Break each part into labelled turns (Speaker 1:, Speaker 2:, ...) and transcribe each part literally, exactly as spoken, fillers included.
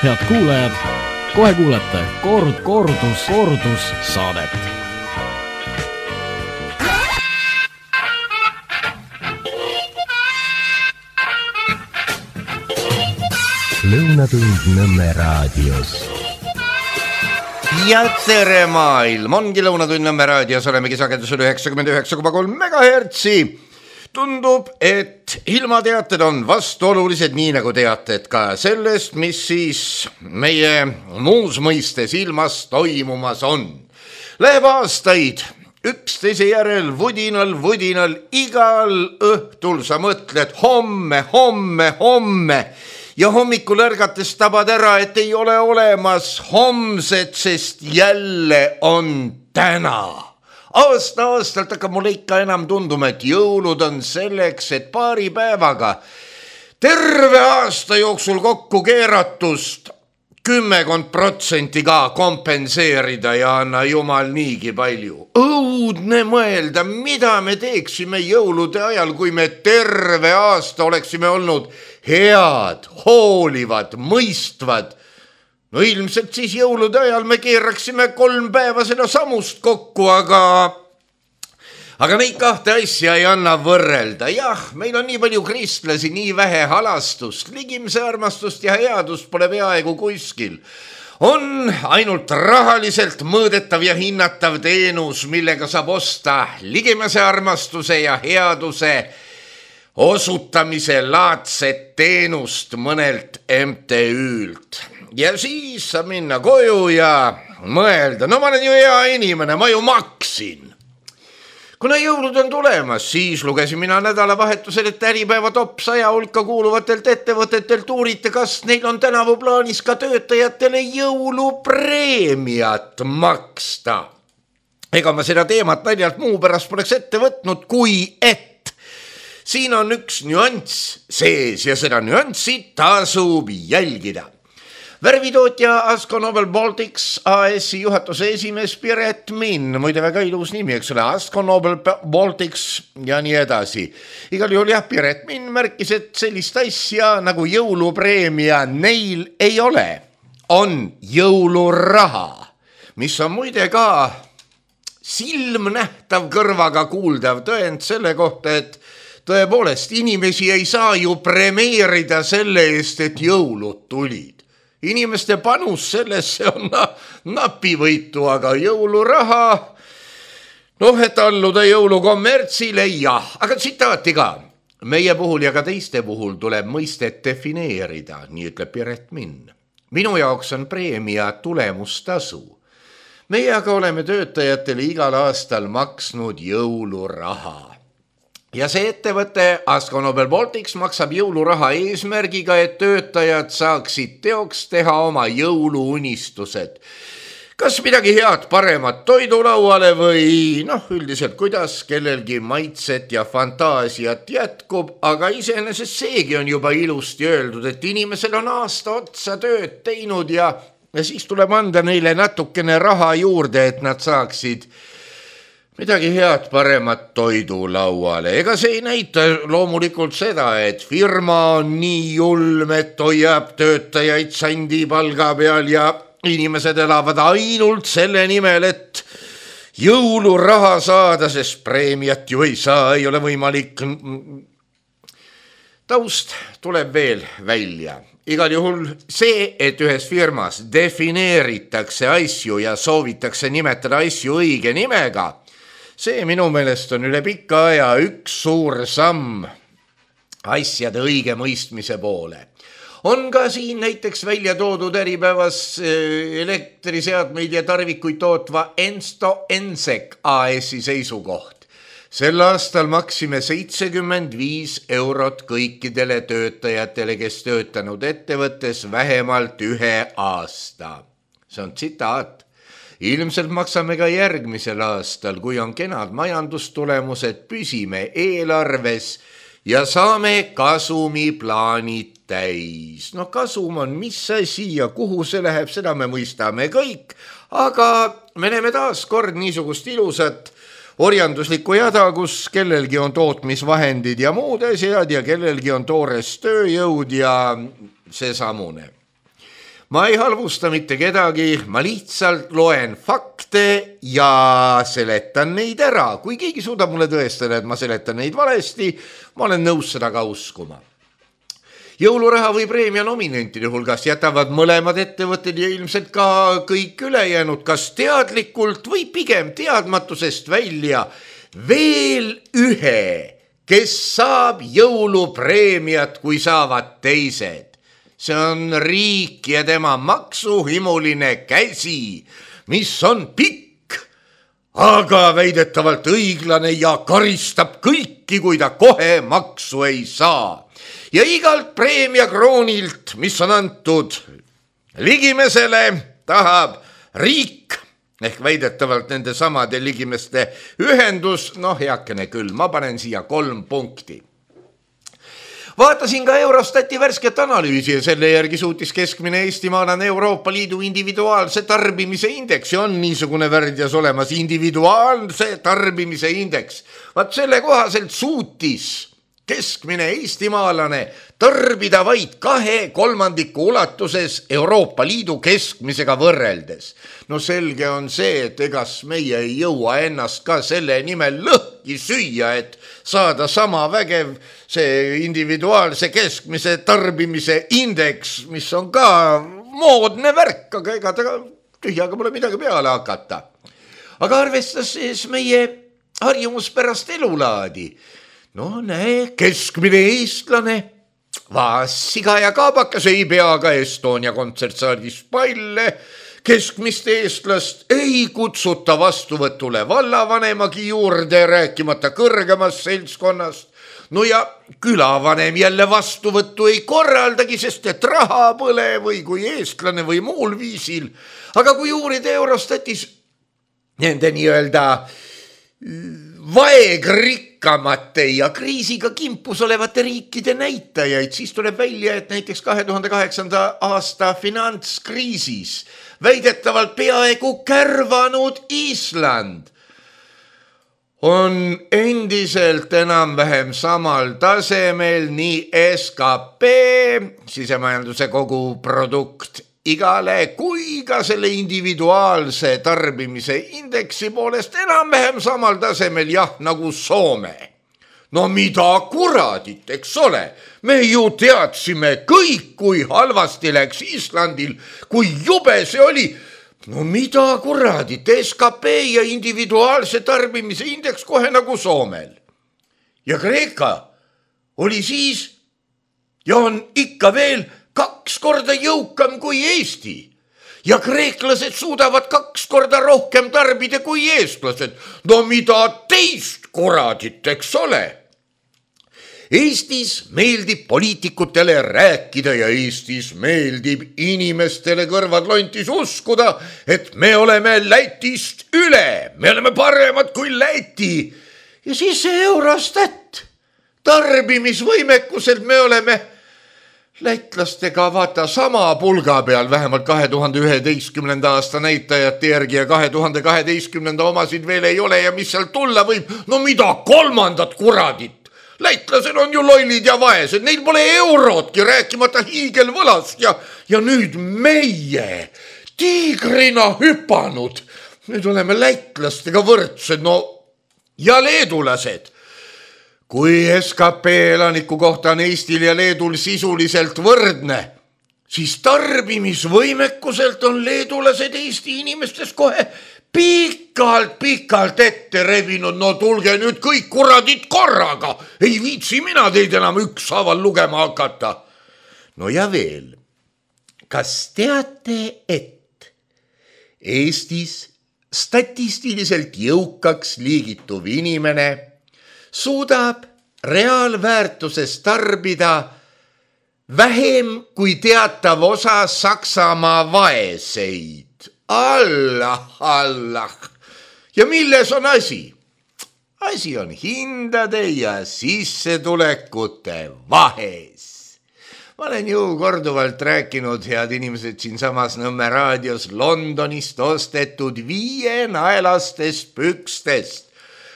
Speaker 1: Head kuulajad, kohe kuulete kord, kordus, kordus saadet.
Speaker 2: Lõunatund Nõmme raadios.
Speaker 3: Ja tere maailm, ongi Lõunatund Nõmme raadios, olemegi sagedusel üheksakümmend üheksa koma kolm megahertsi. Tundub, et ilmateated on vastuolulised, nii nagu teated ka sellest, mis siis meie muus mõistes ilmas toimumas on. Läheb aastaid üksteise järel vudinal, vudinal, igal õhtul sa mõtled homme, homme, homme ja hommikul ärgates tabad ära, et ei ole olemas homset, sest jälle on täna. Aasta-aastalt hakkab mulle ikka enam tunduma, et jõulud on selleks, et paari päevaga terve aasta jooksul kokku keeratust kümmekond protsenti ka kompenseerida ja anna jumal niigi palju. Õudne mõelda, mida me teeksime jõulude ajal, kui me terve aasta oleksime olnud head, hoolivad, mõistvad. No ilmselt siis jõulude ajal me keeraksime kolm päeva seda samust kokku, aga, aga neid kahte asja ei anna võrrelda. Jah, meil on nii palju kristlasi, nii vähe halastust, ligimse armastust ja headust pole peaaegu kuskil. On ainult rahaliselt mõõdetav ja hinnatav teenus, millega saab osta ligimese armastuse ja headuse osutamise laadset teenust mõnelt M T Ü'lt. Ja siis saab minna koju ja mõelda, no ma olen ju hea inimene, ma ju maksin. Kuna jõulud on tulemas, siis lugesin mina nädalavahetusel, et Äripäeva top saja hulka kuuluvatelt ettevõtetelt uurite, kas neil on tänavu plaanis ka töötajatele jõulupreemiat maksta. Ega ma seda teemat naljalt muu pärast poleks ette võtnud, kui et siin on üks nüanss sees ja seda nüanssi tasub jälgida. Värvitootja Asco Nobel Baltics A S-i juhatuse esimees Piret Minn, muide väga ilus nimi, eks ole, Asco Nobel Baltics ja nii edasi. Igal juhul jah, Piret Minn märkis, et sellist asja nagu jõulupreemia neil ei ole. On jõuluraha, mis on muide ka silmnähtav kõrvaga kuuldav tõend selle kohta, et tõepoolest inimesi ei saa ju premeerida selle eest, et jõulud tulid. Inimeste panus sellesse on napivõitu, aga jõuluraha, noh, et alluda jõulukommertsile, jah. Aga tsitaati ka. Meie puhul ja ka teiste puhul tuleb mõistet defineerida, nii ütleb Piret Minn. Minu jaoks on preemia tulemustasu. Meie aga oleme töötajatele igal aastal maksnud jõuluraha. Ja see ettevõte Asco Nobel Baltics maksab jõuluraha eesmärgiga, et töötajad saaksid teoks teha oma jõuluunistused. Kas midagi head paremat toidulauale või noh, üldiselt kuidas kellelgi maitset ja fantaasiat jätkub, aga iseenesest seegi on juba ilusti öeldud, et inimesel on aasta otsa tööd teinud ja, ja siis tuleb anda neile natukene raha juurde, et nad saaksid midagi head paremat toidulauale. Ega see ei näita loomulikult seda, et firma on nii julm, et hoiab töötajaid sandi palga peal ja inimesed elavad ainult selle nimel, et jõuluraha saada, sest preemiat ju ei saa, ei ole võimalik. Taust tuleb veel välja. Igal juhul see, et ühes firmas defineeritakse asju ja soovitakse nimetada asju õige nimega, see minu meelest on üle pika aja üks suur samm asjade õige mõistmise poole. On ka siin näiteks välja toodud Äripäevas elektriseadmeid ja tarvikuid tootva Ensto Ensek A S-i seisukoht. Sel aastal maksime seitsekümmend viis eurot kõikidele töötajatele, kes töötanud ettevõttes vähemalt ühe aasta. See on tsitaat. Ilmselt maksame ka järgmisel aastal, kui on kenad majandustulemused, püsime eelarves ja saame kasumiplaanid täis. No kasum on mis asi ja kuhu see läheb, seda me mõistame kõik, aga me näeme taas kord niisugust ilusat orjanduslikku jada, kus kellelgi on tootmisvahendid ja muud asjad ja kellelgi on toores tööjõud ja see samune. ma ei halvusta mitte kedagi, ma lihtsalt loen fakte ja seletan neid ära. Kui keegi suudab mulle tõestada, et ma seletan neid valesti, ma olen nõus seda ka uskuma. Jõuluraha või preemia nominentide hulgas jätavad mõlemad ettevõtted ja ilmselt ka kõik ülejäänud, kas teadlikult või pigem teadmatusest välja veel ühe, kes saab jõulupreemiat, kui saavad teised. See on riik ja tema maksuhimuline käsi, mis on pikk, aga väidetavalt õiglane ja karistab kõiki, kui ta kohe maksu ei saa. Ja igalt preemia kroonilt, mis on antud ligimesele, tahab riik ehk väidetavalt nende samade ligimeste ühendus, noh heakene küll, ma panen siia kolm punkti. Vaatasin ka Eurostati värsket analüüsi ja selle järgi suutis keskmine eestimaalane Euroopa Liidu individuaalse tarbimise indeks ja on niisugune värdjas olemas individuaalse tarbimise indeks. Vaat selle kohaselt suutis keskmine eestimaalane tarbida vaid kahe kolmandiku ulatuses Euroopa Liidu keskmisega võrreldes. No selge on see, et egas meie ei jõua ennast ka selle nimel lõhki süüa, et saada sama vägev see individuaalse keskmise tarbimise indeks, mis on ka moodne värk, aga ega ta tühjaga pole midagi peale hakata. Aga arvestas siis meie harjumuspärast elulaadi. No näe, keskmine eestlane, vaas siga ja kaabakas ei pea ka Estonia kontsertsaalis palle, keskmist eestlast ei kutsuta vastuvõtule vallavanemagi juurde, rääkimata kõrgemast seltskonnast. No ja külavanem jälle vastuvõttu ei korraldagi, sest et raha põle või kui eestlane või muul viisil. Aga kui uurida Eurostatis nende nii-öelda vaegrikkamate ja kriisiga kimpus olevate riikide näitajaid, siis tuleb välja, et näiteks kahe tuhande kaheksanda aasta finantskriisis väidetavalt peaaegu kärvanud Island on endiselt enam-vähem samal tasemel nii S K P, sisemajanduse koguprodukt igale, kui ka selle individuaalse tarbimise indeksi poolest enam-vähem samal tasemel, jah, nagu Soome. No mida kuradit, eks ole? Me ju teadsime kõik, kui halvasti läks Islandil, kui jube see oli. No mida kuradit, S K P ja individuaalse tarbimise indeks kohe nagu Soomel. Ja Kreeka oli siis ja on ikka veel kaks korda jõukam kui Eesti. Ja kreeklased suudavad kaks korda rohkem tarbida kui eestlased. No mida teist kuradit, eks ole? Eestis meeldib poliitikutele rääkida ja Eestis meeldib inimestele kõrvad lontis uskuda, et me oleme Lätist üle, me oleme paremad kui Läti. Ja siis see Eurostat, tarbimisvõimekuselt me oleme lätlastega vaata sama pulga peal, vähemalt kahe tuhande üheteistkümnenda aasta näitajate järgi ja kahe tuhande kaheteistkümnenda omasid veel ei ole ja mis seal tulla võib, no mida kolmandat kuradit? Lätlased on ju lollid ja vaesed, neil pole eurotki, rääkimata hiigelvõlast ja, ja nüüd meie tiigrina hüpanud, nüüd oleme lätlastega võrdsed, no ja leedulased. Kui S K P elaniku kohta on Eestil ja Leedul sisuliselt võrdne, siis tarbimisvõimekuselt on leedulased Eesti inimestes kohe pikalt-pikalt ette rebinud. No tulge nüüd kõik kuradid korraga, ei viitsi mina teid enam ükshaaval lugema hakata. No ja veel, kas teate, et Eestis statistiliselt jõukaks liigituv inimene suudab reaalväärtuses tarbida vähem kui teatav osa Saksamaa vaeseid. Allah, Allah. Ja milles on asi? Asi on hindade ja sissetulekute vahes. Ma olen ju korduvalt rääkinud, head inimesed, siin samas Nõmme raadios Londonist ostetud viienaelastest pükstest.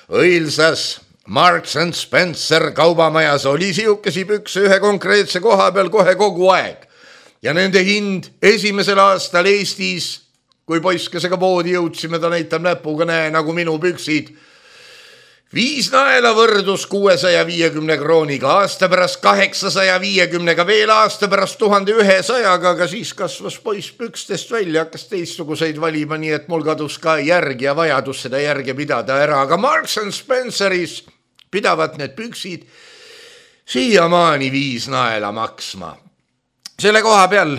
Speaker 3: Õilsas Marks and Spencer kaubamajas oli siukesi pükse ühe konkreetse koha peal kohe kogu aeg. ja nende hind esimesel aastal Eestis, kui poiskesega poodi jõudsime, ta näitab näpuga, näe nagu minu püksid. Viis naela võrdus kuuesaja viiekümne krooniga, aasta pärast kaheksasaja viiekümnega, veel aasta pärast tuhande ühesajaga, aga siis kasvas poiss pükstest välja, hakkas teistsuguseid valima, nii et mul kadus ka järg ja vajadus seda järge pidada ära, aga Marks and Spenceris pidavad need püksid siiamaani viis naela maksma. Selle koha peal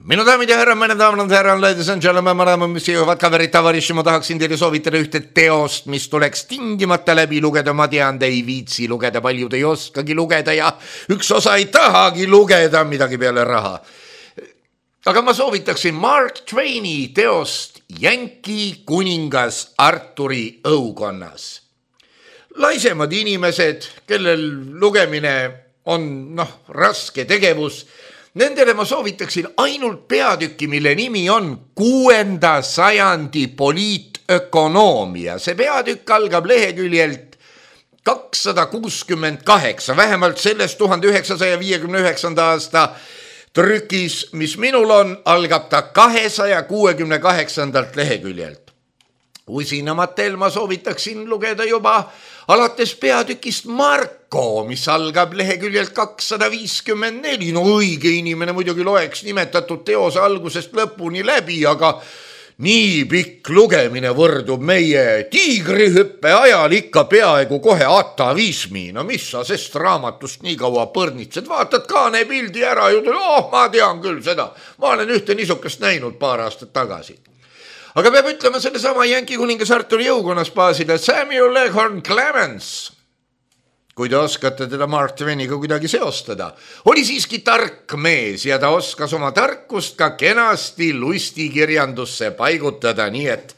Speaker 3: minu daamid ja härra, mõne daamad ja härra, ladies and gentlemen, madame, mis jõuavad ka verit tavariši, ma tahaksin teile soovitada ühte teost, mis tuleks tingimata läbi lugeda, ma tean, te ei viitsi lugeda, paljud ei oskagi lugeda ja üks osa ei tahagi lugeda midagi peale raha. Aga ma soovitaksin Mark Twaini teost Jänki kuningas Arturi õukonnas. Laisemad inimesed, kellel lugemine on noh, raske tegevus, nendele ma soovitaksin ainult peatükki, mille nimi on kuuenda sajandi poliitökonoomia. See peatükk algab leheküljelt kakssada kuuskümmend kaheksa, vähemalt sellest tuhande üheksasaja viiekümne üheksanda aasta trükis, mis minul on, algab ta kahesaja kuuekümne kaheksandalt leheküljelt. Usinamatel ma soovitaksin lugeda juba alates peatükist Marko, mis algab leheküljelt kakssada viiskümmend neli. No õige inimene muidugi loeks nimetatud teose algusest lõpuni läbi, aga nii pikk lugemine võrdub meie tiigrihüppe ajal ikka peaaegu kohe atavismi. No mis sa sest raamatust nii kaua põrnitsed, vaatad kaane pildi ära ja ütled, oh, ma tean küll seda. Ma olen ühte niisukest näinud paar aastat tagasi. Aga peab ütlema selle sama Jänki kuningas Arturi õukonnas baasile Samuel Leghorn Clemens, kui te oskate teda Mark Twainiga kuidagi seostada, oli siiski tark mees ja ta oskas oma tarkust ka kenasti lustikirjandusse paigutada, nii et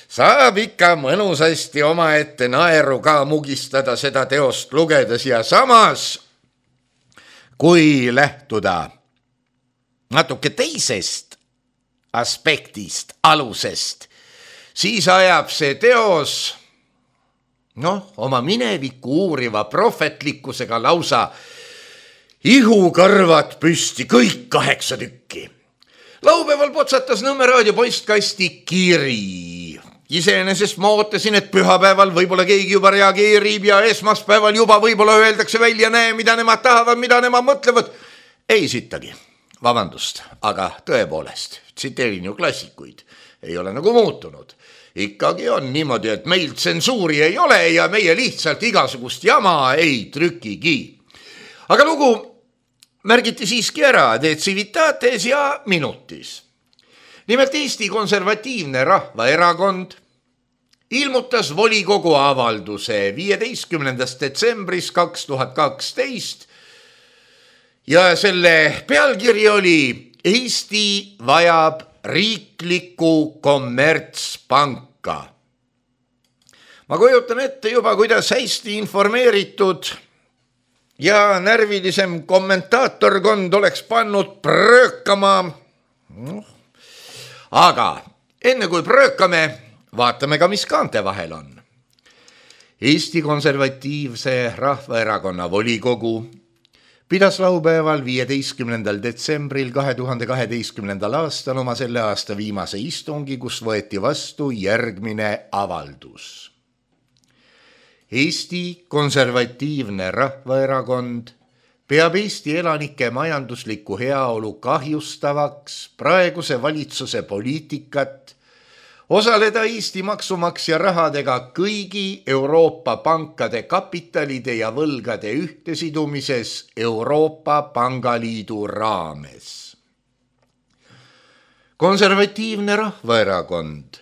Speaker 3: saab ikka mõnusasti oma ette naeru ka mugistada seda teost lugedes ja samas, kui lähtuda natuke teisest aspektist, alusest, siis ajab see teos noh, oma mineviku uuriva prohvetlikkusega lausa ihukarvad püsti, kõik kaheksa tükki. Laupäeval potsatas Nõmme raadio postkasti kiri. Iseenesest ma ootasin, et pühapäeval võib-olla keegi juba reageerib ja esmaspäeval juba võib-olla öeldakse välja, näe, mida nemad tahavad, mida nemad mõtlevad. Ei sittagi. Vabandust, aga tõepoolest, tsiteerin ju klassikuid, ei ole nagu muutunud. Ikkagi on niimoodi, et meil tsensuuri ei ole ja meie lihtsalt igasugust jama ei trükigi. Aga lugu märgiti siiski ära de civitates ja minutis. Nimelt Eesti Konservatiivne Rahvaerakond ilmutas volikogu avalduse viieteistkümnendast detsembris kaks tuhat kaksteist ja selle pealkiri oli Eesti vajab riiklikku kommertspanka. Ma kujutan ette juba, kuidas hästi informeeritud ja närvilisem kommentaatorkond oleks pannud pröökama. Aga enne kui pröökame, vaatame ka, mis kaante vahel on. Eesti Konservatiivse Rahvaerakonna volikogu pidas laupäeval viieteistkümnendal detsembril kahe tuhande kaheteistkümnendal aastal oma selle aasta viimase istungi, kus võeti vastu järgmine avaldus. Eesti Konservatiivne Rahvaerakond peab Eesti elanike majanduslikku heaolu kahjustavaks praeguse valitsuse poliitikat osaleda Eesti maksumaksja rahadega kõigi Euroopa pankade kapitalide ja võlgade ühtesidumises Euroopa Pangaliidu raames. Konservatiivne Rahvaerakond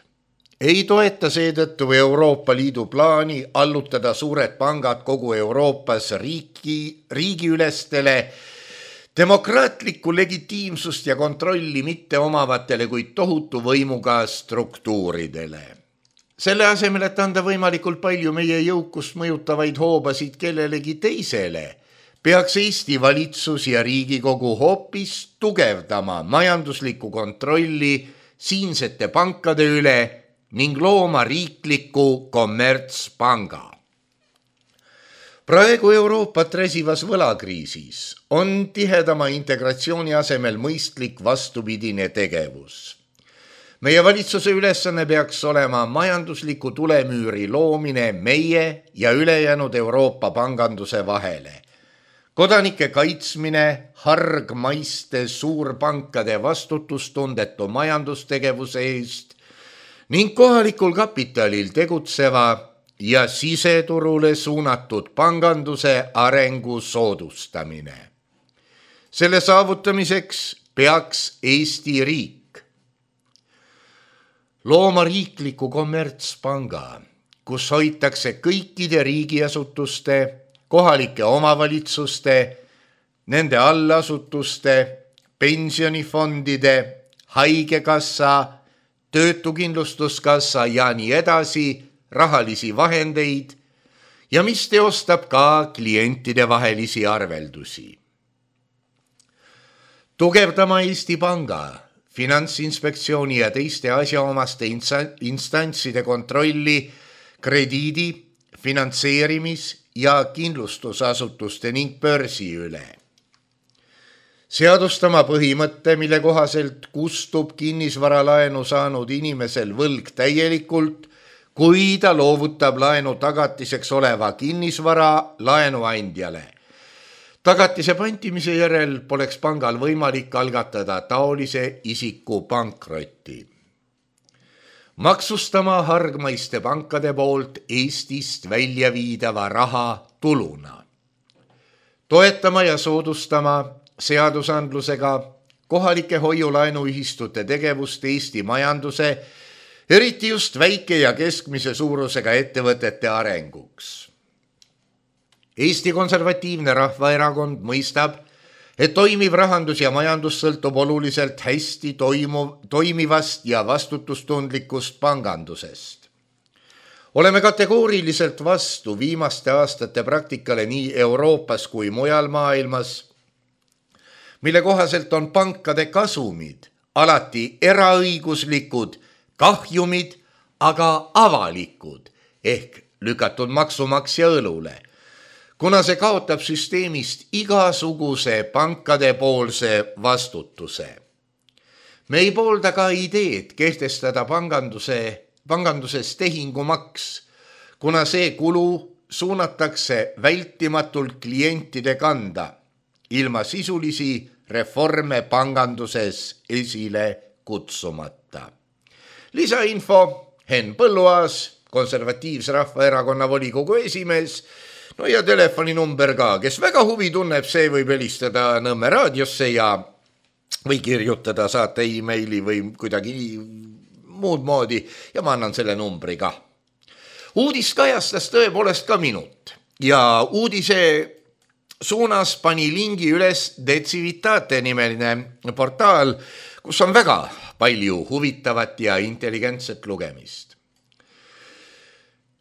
Speaker 3: ei toeta seetõttu Euroopa Liidu plaani allutada suured pangad kogu Euroopas riigi, riigiülestele demokraatlikku legitiimsust ja kontrolli mitte omavatele, kuid tohutu võimuga struktuuridele. Selle asemel, et anda võimalikult palju meie jõukust mõjutavaid hoobasid kellelegi teisele, peaks Eesti valitsus ja Riigikogu hoopis tugevdama majanduslikku kontrolli siinsete pankade üle ning looma riikliku kommertspanga. Praegu Euroopat räsivas võlakriisis on tihedama integratsiooni asemel mõistlik vastupidine tegevus. Meie valitsuse ülesanne peaks olema majandusliku tulemüüri loomine meie ja ülejäänud Euroopa panganduse vahele. Kodanike kaitsmine hargmaiste suurpankade vastutustundetu majandustegevuse eest ning kohalikul kapitalil tegutseva ja siseturule suunatud panganduse arengu soodustamine. Selle saavutamiseks peaks Eesti riik looma riikliku kommertspanga, kus hoitakse kõikide riigiasutuste, kohalike omavalitsuste, nende allasutuste, pensionifondide, haigekassa, töötukindlustuskassa ja nii edasi rahalisi vahendeid ja mis teostab ka klientide vahelisi arveldusi. Tugevdama Eesti Panga, Finantsinspektsiooni ja teiste asjaomaste instantside kontrolli krediidi, finantseerimis- ja kindlustusasutuste ning börsi üle. Seadustama põhimõtte, mille kohaselt kustub kinnisvaralaenu saanud inimesel võlg täielikult, kui ta loovutab laenu tagatiseks oleva kinnisvara laenuandjale. Tagatise pantimise järel poleks pangal võimalik algatada taolise isiku pankrotti. Maksustama hargmaiste pankade poolt Eestist välja viidava raha tuluna. Toetama ja soodustama seadusandlusega kohalike hoiulaenuühistute tegevust Eesti majanduse, eriti just väike ja keskmise suurusega ettevõtete arenguks. Eesti Konservatiivne Rahvaerakond mõistab, et toimiv rahandus ja majandus sõltub oluliselt hästi toimuv, toimivast ja vastutustundlikust pangandusest. Oleme kategooriliselt vastu viimaste aastate praktikale nii Euroopas kui mujal maailmas, mille kohaselt on pankade kasumid alati eraõiguslikud, kahjumid aga avalikud ehk lükatud maksumaksja õlule, kuna see kaotab süsteemist igasuguse pankade poolse vastutuse. Me ei poolda ka ideed kehtestada panganduse, panganduses tehingumaks, kuna see kulu suunatakse vältimatult klientide kanda, ilma sisulisi reforme panganduses esile kutsumata. Lisainfo, Henn Põlluaas, Konservatiivse Rahvaerakonna volikogu esimees, no ja telefoninumber ka, kes väga huvi tunneb, see võib helistada Nõmme raadiosse ja või kirjutada, saata e-maili või kuidagi muud moodi ja ma annan selle numbri ka. Uudis kajastas tõepoolest ka minut ja uudise suunas pani lingi üles Decivitate nimeline portaal, kus on väga palju huvitavat ja intelligentset lugemist.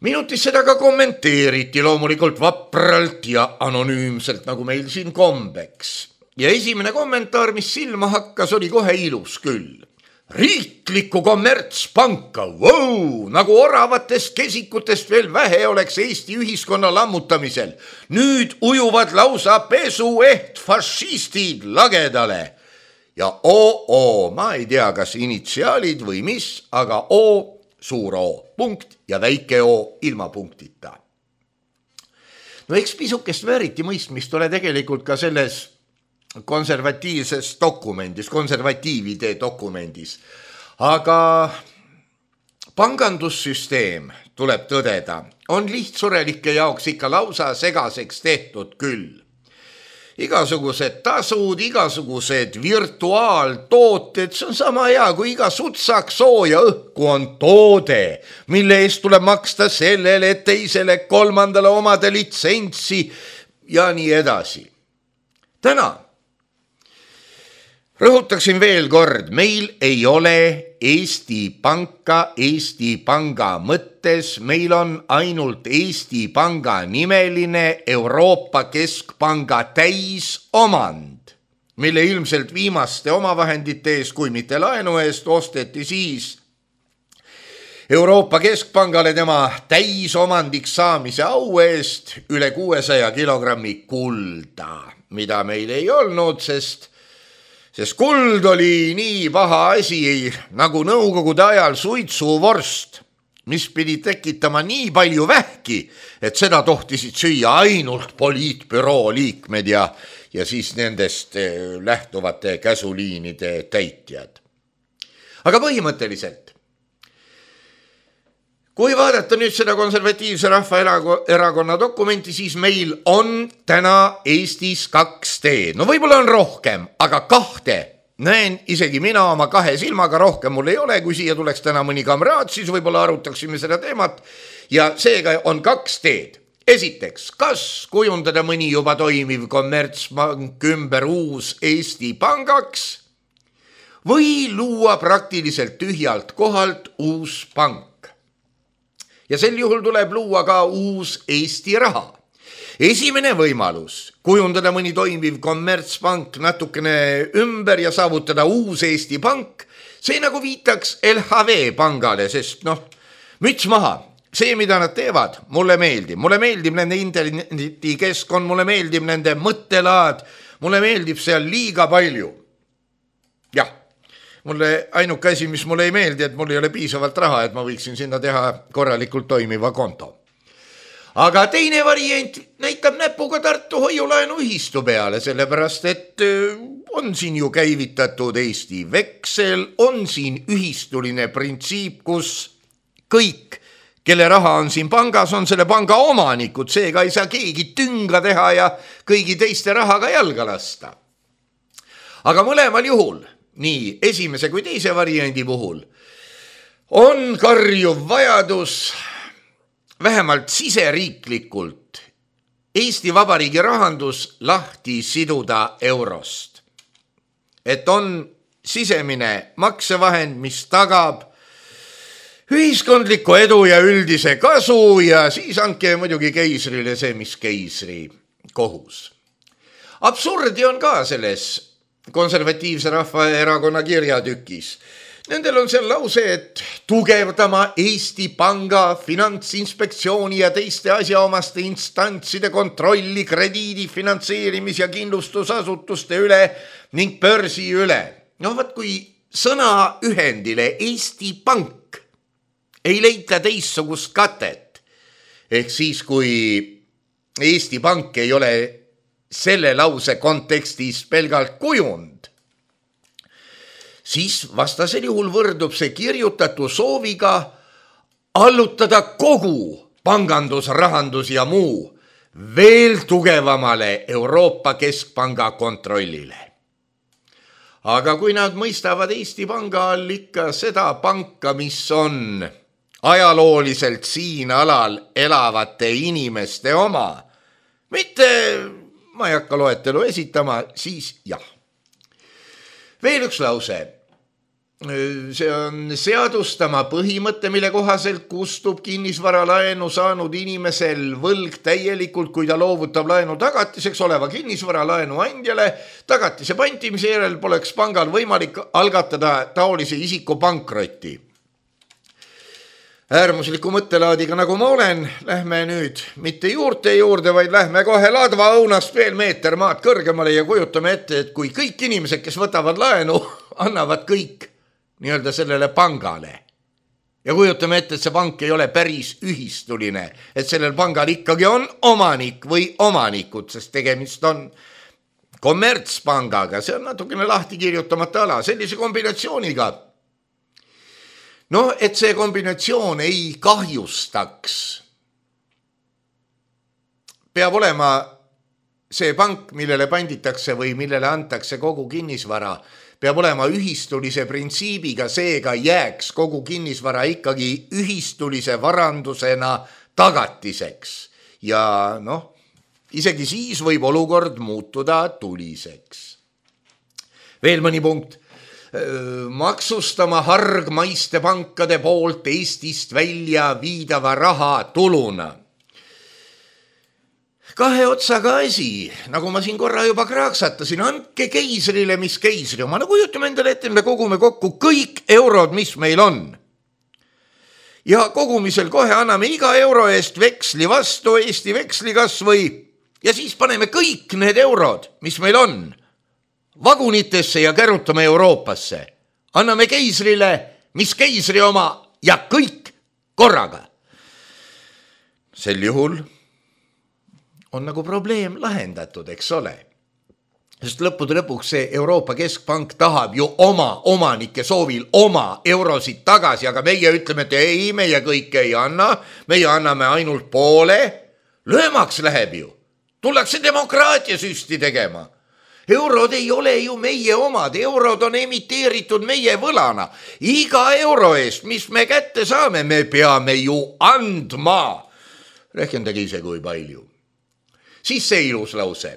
Speaker 3: Minutis seda ka kommenteeriti loomulikult vapralt ja anonüümselt, nagu meil siin kombeks. Ja esimene kommentaar, mis silma hakkas, oli kohe ilus küll. Riiklikku kommertspanka, wow, nagu oravatest kesikutest veel vähe oleks Eesti ühiskonna lammutamisel. Nüüd ujuvad lausa pesueht fašistid lagedale. Ja oo, ma ei tea, kas initsiaalid või mis, aga oo, suur O, punkt ja väike O ilma punktita. No eks pisukest vääriti mõistmist ole tegelikult ka selles konservatiivses dokumendis, konservatiivide dokumendis. Aga pangandussüsteem, tuleb tõdeda, on lihtsurelike jaoks ikka lausa segaseks tehtud küll. Igasugused tasud, igasugused virtuaaltooted, see on sama hea, kui iga sutsak sooja õhku on toode, mille eest tuleb maksta sellele, teisele, kolmandale omade litsentsi ja nii edasi. Täna rõhutaksin veel kord, meil ei ole Eesti Panka Eesti Panga mõttes, meil on ainult Eesti Panga nimeline Euroopa Keskpanga täisomand, mille ilmselt viimaste omavahendite eest, kui mitte laenu eest, osteti siis Euroopa Keskpangale tema täisomandiks saamise au eest üle kuuesaja kilogrammi kulda, mida meil ei olnud, sest, sest kuld oli nii paha asi nagu nõukogude ajal suitsuvorst, mis pidi tekitama nii palju vähki, et seda tohtisid süüa ainult poliitbüroo liikmed ja, ja siis nendest lähtuvate käsuliinide täitjad. Aga põhimõtteliselt, kui vaadata nüüd seda konservatiivse rahvaerakonna dokumenti, siis meil on täna Eestis kaks teed. No võib-olla on rohkem, aga kahte näen isegi mina oma kahe silmaga, rohkem mul ei ole. Kui siia tuleks täna mõni kamraad, siis võib-olla arutaksime seda teemat. Ja seega on kaks teed. Esiteks, kas kujundada mõni juba toimiv kommertspank ümber uus Eesti pangaks või luua praktiliselt tühjalt kohalt uus pank. Ja sel juhul tuleb luua ka uus Eesti raha. Esimene võimalus, kujundada mõni toimiv kommertspank natukene ümber ja saavutada uus Eesti pank, see nagu viitaks L H V pangale, sest noh, müts maha, see, mida nad teevad, mulle meeldib. Mulle meeldib nende internetikeskkond, mulle meeldib nende mõttelaad, mulle meeldib seal liiga palju. Jah. Mulle ainuke asi, mis mulle ei meeldi, et mul ei ole piisavalt raha, et ma võiksin sinna teha korralikult toimiva konto. Aga teine variant näitab näpuga Tartu hoiulaenu ühistu peale, sellepärast, et on siin ju käivitatud Eesti veksel, on siin ühistuline printsiip, kus kõik, kelle raha on siin pangas, on selle panga omanikud, seega ei saa keegi tünga teha ja kõigi teiste rahaga jalga lasta. Aga mõlemal juhul, nii esimese kui teise variandi puhul, on karjuv vajadus vähemalt siseriiklikult Eesti Vabariigi rahandus lahti siduda eurost. Et on sisemine maksevahend, mis tagab ühiskondliku edu ja üldise kasu ja siis andke muidugi keisrile see, mis keisri kohus. Absurdi on ka selles konservatiivse rahvaerakonna kirjatükis. Nendel on seal lause, et tugevdama Eesti Panga, Finantsinspektsiooni ja teiste asjaomaste instantside kontrolli krediidi, finantseerimis- ja kindlustusasutuste üle ning börsi üle. No võt, kui sõna ühendile Eesti Pank ei leita teissugust katet, ehk siis kui Eesti Pank ei ole selle lause kontekstis pelgalt kujund, siis vastasel juhul võrdub see kirjutatu sooviga allutada kogu pangandus, rahandus ja muu veel tugevamale Euroopa Keskpanga kontrollile. Aga kui nad mõistavad Eesti Panga all ikka seda panka, mis on ajalooliselt siin alal elavate inimeste oma, mitte ma ei hakka loetelu esitama, siis jah. Veel üks lause. See on seadustama põhimõte, mille kohaselt kustub kinnisvaralaenu saanud inimesel võlg täielikult, kui ta loovutab laenu tagatiseks oleva kinnisvaralaenu andjale. Tagatise pantimise järel poleks pangal võimalik algatada taolise isiku pankrotti. Äärmusliku mõttelaadiga, nagu ma olen, lähme nüüd mitte juurte juurde, vaid lähme kohe ladva õunast veel meeter maad kõrgemale ja kujutame ette, et kui kõik inimesed, kes võtavad laenu, annavad kõik nii-öelda sellele pangale. Ja kujutame ette, et see pank ei ole päris ühistuline, et sellel pangal ikkagi on omanik või omanikud, sest tegemist on kommertspangaga, see on natukene lahti kirjutamata ala, sellise kombinatsiooniga. No, et see kombinatsioon ei kahjustaks. Peab olema see pank, millele panditakse või millele antakse kogu kinnisvara, peab olema ühistulise printsiibiga, seega jääks kogu kinnisvara ikkagi ühistulise varandusena tagatiseks. Ja noh, isegi siis võib olukord muutuda tuliseks. Veel mõni punkt. Maksustama hargmaiste pankade poolt Eestist välja viidava raha tuluna. Kahe otsaga asi, nagu ma siin korra juba kraaksatasin, andke keisrile, mis keisri oma. No kujutame endale ette, me kogume kokku kõik eurod, mis meil on. ja kogumisel kohe anname iga euro eest veksli vastu Eesti veksli kas või ja siis paneme kõik need eurod, mis meil on, vagunitesse ja kärutame Euroopasse. Anname keisrile, mis keisri oma ja kõik korraga. Sel juhul on nagu probleem lahendatud, eks ole. Sest lõppude lõpuks see Euroopa Keskpank tahab ju oma omanike soovil oma eurosid tagasi, aga meie ütleme, et ei, meie kõike ei anna, meie anname ainult poole. Löömaks läheb ju. Tullakse demokraatia süsti tegema. Eurod ei ole ju meie omad, eurod on emiteeritud meie võlana. Iga euro eest, mis me kätte saame, me peame ju andma. Rehkendage ise kui palju. Siis see ilus lause.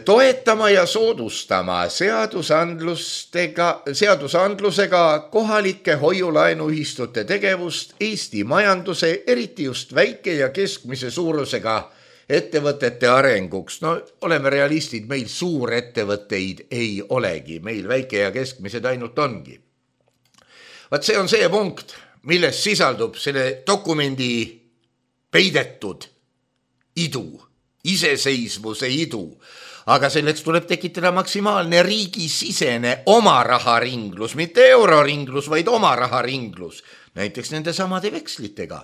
Speaker 3: Toetama ja soodustama seadusandlustega, seadusandlusega kohalike hoiulaenuühistute tegevust Eesti majanduse, eriti just väike ja keskmise suurusega ettevõtete arenguks. No oleme realistid, meil suurettevõtteid ei olegi, meil väike ja keskmised ainult ongi. Vaat see on see punkt, milles sisaldub selle dokumendi peidetud idu, iseseisvuse idu, aga selleks tuleb tekitada maksimaalne riigisisene oma raharinglus, mitte euroringlus, vaid oma raharinglus, näiteks nende samade vekslitega.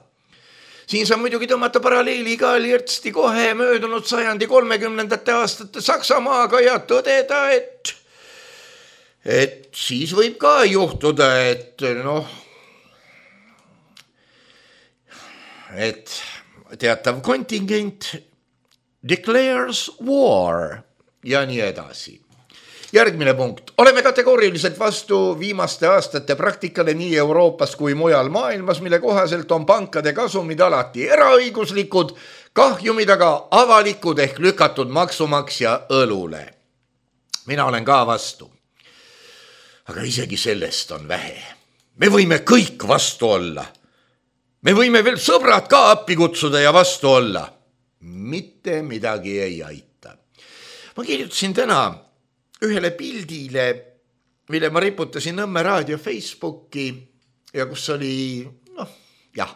Speaker 3: Siin saab muidugi tõmmata paralleeli ka lirtsti kohe möödunud sajandi kolmekümnendate aastate Saksamaaga ja tõdeda, et, et siis võib ka juhtuda, et noh, et teatav kontingent declares war ja nii edasi. Järgmine punkt. Oleme kategooriliselt vastu viimaste aastate praktikale nii Euroopas kui mujal maailmas, mille kohaselt on pankade kasumid alati eraõiguslikud, kahjumid aga avalikud ehk lükatud maksumaksja õlule. Mina olen ka vastu. Aga isegi sellest on vähe. Me võime kõik vastu olla. Me võime veel sõbrad ka appi kutsuda ja vastu olla. Mitte midagi ei aita. Ma kirjutasin täna ühele pildile, mille ma riputasin Nõmme raadio Facebooki ja kus oli, noh, jah,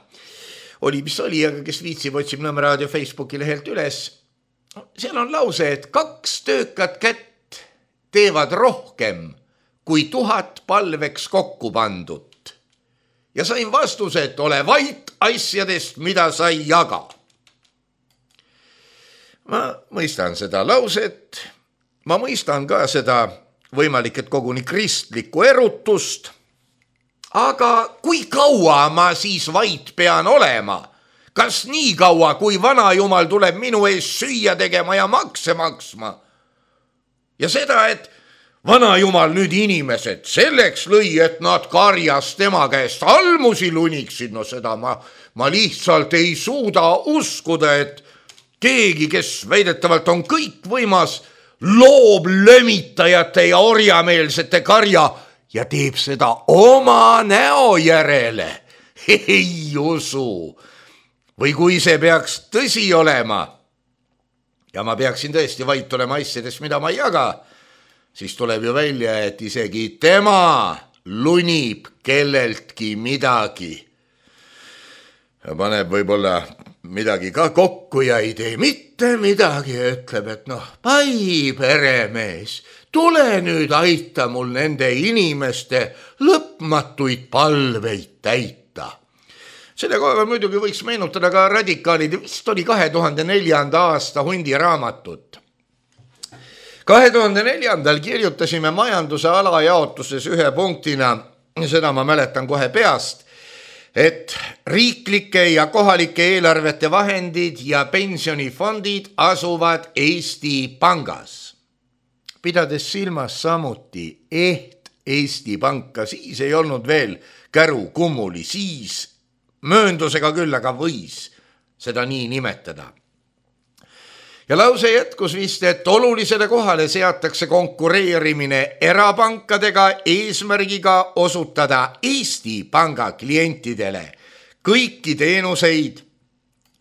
Speaker 3: oli mis oli, aga kes viitsib, otsib Nõmme raadio Facebooki lehelt üles. Seal on lause, et kaks töökat kätt teevad rohkem kui tuhat palveks kokku pandud. Ja sain vastuse, et ole vait asjadest, mida sa ei jaga. Ma mõistan seda lauset, ma mõistan ka seda võimalik, et koguni kristlikku erutust, aga kui kaua ma siis vait pean olema? Kas nii kaua, kui vanajumal tuleb minu ees süüa tegema ja makse maksma? Ja seda, et vanajumal nüüd inimesed selleks lõi, et nad karjas tema käest almusi luniksid, no seda ma, ma lihtsalt ei suuda uskuda, et keegi, kes väidetavalt on kõik võimas, loob lömitajate ja orjameelsete karja ja teeb seda oma näo järele. Ei usu. Või kui see peaks tõsi olema ja ma peaksin tõesti vait olema asjadest, mida ma ei jaga, siis tuleb ju välja, et isegi tema lunib kelleltki midagi. Ja paneb võib-olla midagi ka kokku ja ei tee mitte midagi ja ütleb, et noh, pai peremees, tule nüüd aita mul nende inimeste lõpmatuid palveid täita. Selle kohaga muidugi võiks meenutada ka radikaalid, vist oli kahe tuhande neljanda aasta Hundi raamatut. kahe tuhande neljandal kirjutasime majanduse alajaotuses ühe punktina, seda ma mäletan kohe peast, et riiklike ja kohalike eelarvete vahendid ja pensionifondid asuvad Eesti Pangas. Pidades silmas samuti eht Eesti Panka, siis ei olnud veel käru kummuli, siis mööndusega küll, aga võis seda nii nimetada. Ja lause jätkus vist, et olulisele kohale seatakse konkureerimine erapankadega eesmärgiga osutada Eesti Panga klientidele kõiki teenuseid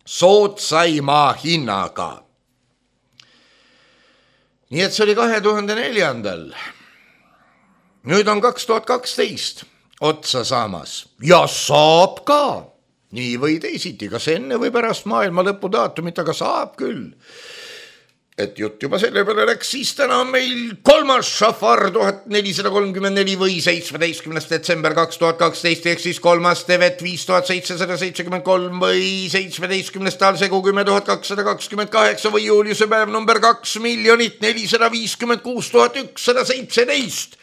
Speaker 3: soodsaima hinnaga. Nii et see oli kahe tuhande neljandal. Nüüd on kaks tuhat kaksteist. otsa saamas ja saab ka. Nii või teisiti, kas enne või pärast maailma lõpu daatumit, aga saab küll. Et jutt juba selle peale läks, siis täna on meil kolmas Šafar tuhat nelisada kolmkümmend neli või seitsmeteistkümnes detsember kaks tuhat kaksteist, ehk siis kolmas Tevet viis tuhat seitsesada seitsekümmend kolm või seitsmeteistkümnes Talsegu kümme tuhat kakssada kakskümmend kaheksa või Juliuse päev number kaks miljonit nelisada viiskümmend kuus tuhat ükssada seitseteist.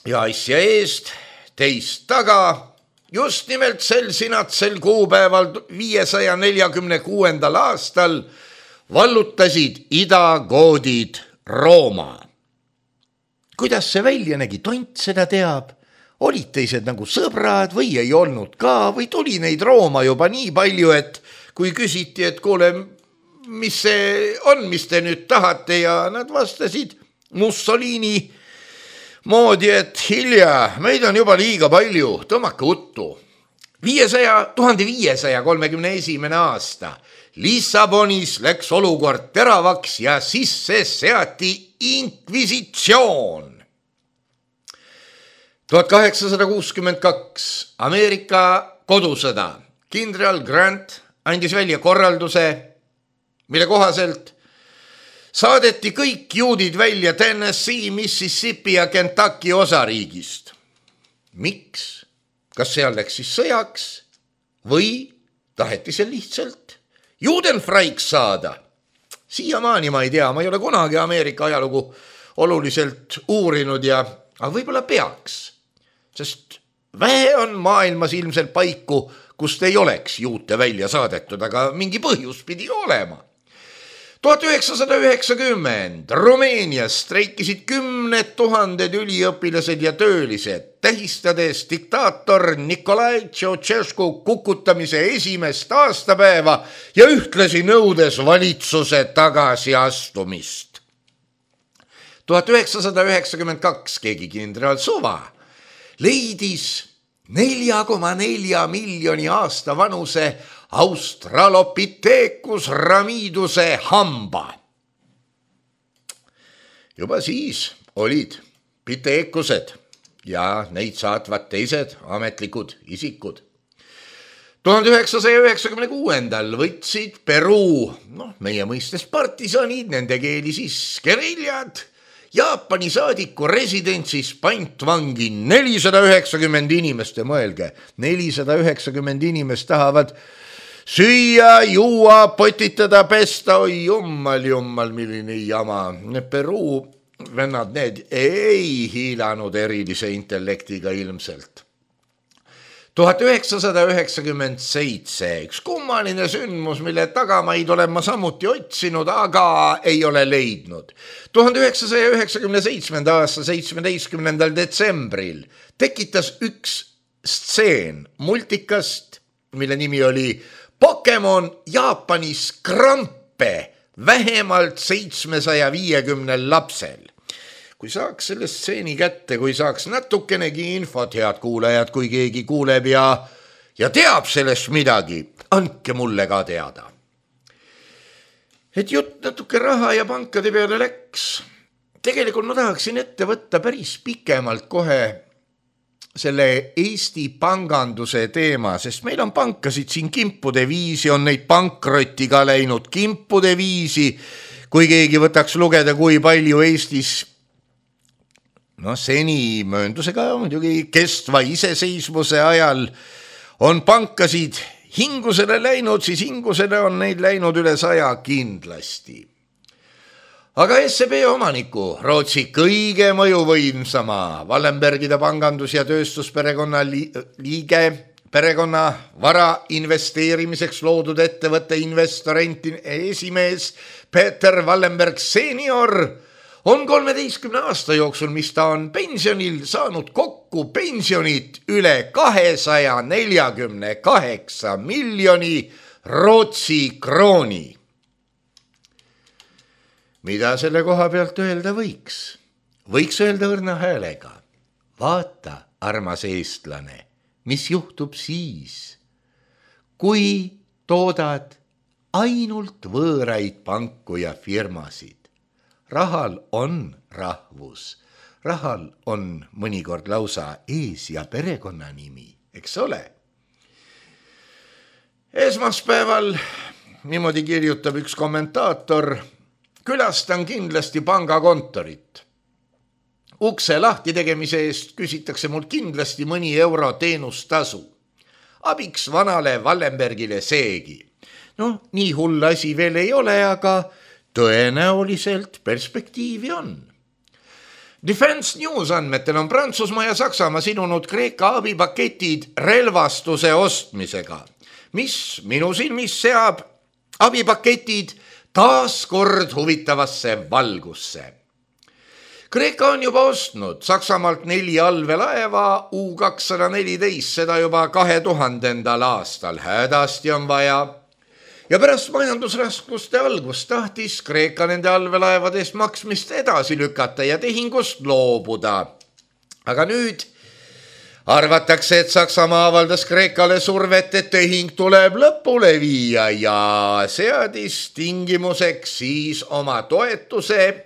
Speaker 3: Ja asja eest, teist taga, just nimelt sel sinatsel kuupäeval viiesaja neljakümne kuuendal aastal vallutasid idagoodid Rooma. Kuidas see välja nägi, tont seda teab. Olid teised nagu sõbrad või ei olnud ka või tuli neid Rooma juba nii palju, et kui küsiti, et kuule, mis see on, mis te nüüd tahate, ja nad vastasid Mussolini moodi, et hilja, meid on juba liiga palju, tõmmake uttu. viiesaja, tuhande viiesaja kolmekümne esimene aasta Lissabonis läks olukord teravaks ja sisse seati inkvisitsioon. tuhat kaheksasada kuuskümmend kaks Ameerika kodusõda. Kindral Grant andis välja korralduse, mille kohaselt saadeti kõik juudid välja Tennessee, Mississippi ja Kentucky osariigist. Miks? Kas seal läks siis sõjaks või taheti seal lihtsalt Judenfreiks saada? Siiamaani ma ei tea, ma ei ole kunagi Ameerika ajalugu oluliselt uurinud ja aga võib-olla peaks, sest vähe on maailmas ilmselt paiku, kust ei oleks juute välja saadetud, aga mingi põhjus pidi olema. tuhat üheksasada üheksakümmend Rumeenias streikisid kümned tuhanded üliõpilased ja töölised, tähistades diktaator Nikolai Ceausescu kukutamise esimest aastapäeva ja ühtlasi nõudes valitsuse tagasiastumist. tuhat üheksasada üheksakümmend kaks keegi kindral Suva leidis nelja koma nelja miljoni aasta vanuse Australopithecus ramiduse hamba. Juba siis olid piteekused ja neid saatvad teised ametlikud isikud. tuhande üheksasaja üheksakümne kuuendal võtsid Peruu, noh, meie mõistes partisanid, nende keeli siis geriljad, Jaapani saadiku residentsis pantvangi nelisada üheksakümmend inimest ja mõelge, nelisada üheksakümmend inimest tahavad süüa, juua, potitada, pesta, oi jummal, jummal, milline jama. Peruu vennad need ei hiilanud erilise intellektiga ilmselt. tuhat üheksasada üheksakümmend seitse, üks kummaline sündmus, mille tagamaid olen ma samuti otsinud, aga ei ole leidnud. tuhande üheksasaja üheksakümne seitsmenda aasta seitsmeteistkümnendal detsembril tekitas üks stseen multikast, mille nimi oli Pokemon Jaapanis krampe vähemalt seitsmesaja viiekümnel lapsel. Kui saaks selle stseeni kätte, kui saaks natukenegi infot, head kuulajad, kui keegi kuuleb ja, ja teab sellest midagi, andke mulle ka teada. Et jutt natuke raha ja pankade peale läks. Tegelikult ma tahaksin ette võtta päris pikemalt kohe selle Eesti panganduse teema, sest meil on pankasid siin kimpude viisi, on neid pankrotti ka läinud kimpude viisi, kui keegi võtaks lugeda, kui palju Eestis, no seni mööndusega muidugi kestva iseseisvuse ajal on pankasid hingusele läinud, siis hingusele on neid läinud üle saja kindlasti. Aga S E B omaniku, Rootsi kõige mõjuvõimsama Wallenbergide pangandus- ja tööstusperekonna liige, perekonna vara investeerimiseks loodud ettevõtte investorenti esimees Peter Wallenberg senior on kolmeteistkümne aasta jooksul, mis ta on pensionil, saanud kokku pensionit üle kahesaja neljakümne kaheksa miljoni Rootsi krooni. Mida selle koha pealt öelda võiks? Võiks öelda õrna häälega. Vaata, armas eestlane, mis juhtub siis, kui toodad ainult võõraid panku ja firmasid. Rahal on rahvus, rahal on mõnikord lausa ees- ja perekonnanimi, eks ole. Esmaspäeval niimoodi kirjutab üks kommentaator: külastan kindlasti pangakontorit. Ukse lahti tegemise eest küsitakse mul kindlasti mõni euro teenustasu. Abiks vanale Wallenbergile seegi. No, nii hull asi veel ei ole, aga tõenäoliselt perspektiivi on. Defense News andmetel on Prantsusmaa ja Saksamaa sinunud Kreeka abipaketid relvastuse ostmisega, mis minu silmis seab abipaketid taas kord huvitavasse valgusse. Kreeka on juba ostnud Saksamaalt neli allveelaeva U kakssada neliteist, seda juba kahe tuhandendal aastal. Hädasti on vaja. Ja pärast majandusraskuste algust tahtis Kreeka nende allveelaevadest maksmist edasi lükata ja tehingust loobuda. Aga nüüd arvatakse, et Saksamaa avaldas Kreekale survet, et tehing tuleb lõpule viia ja seadis tingimuseks siis oma toetuse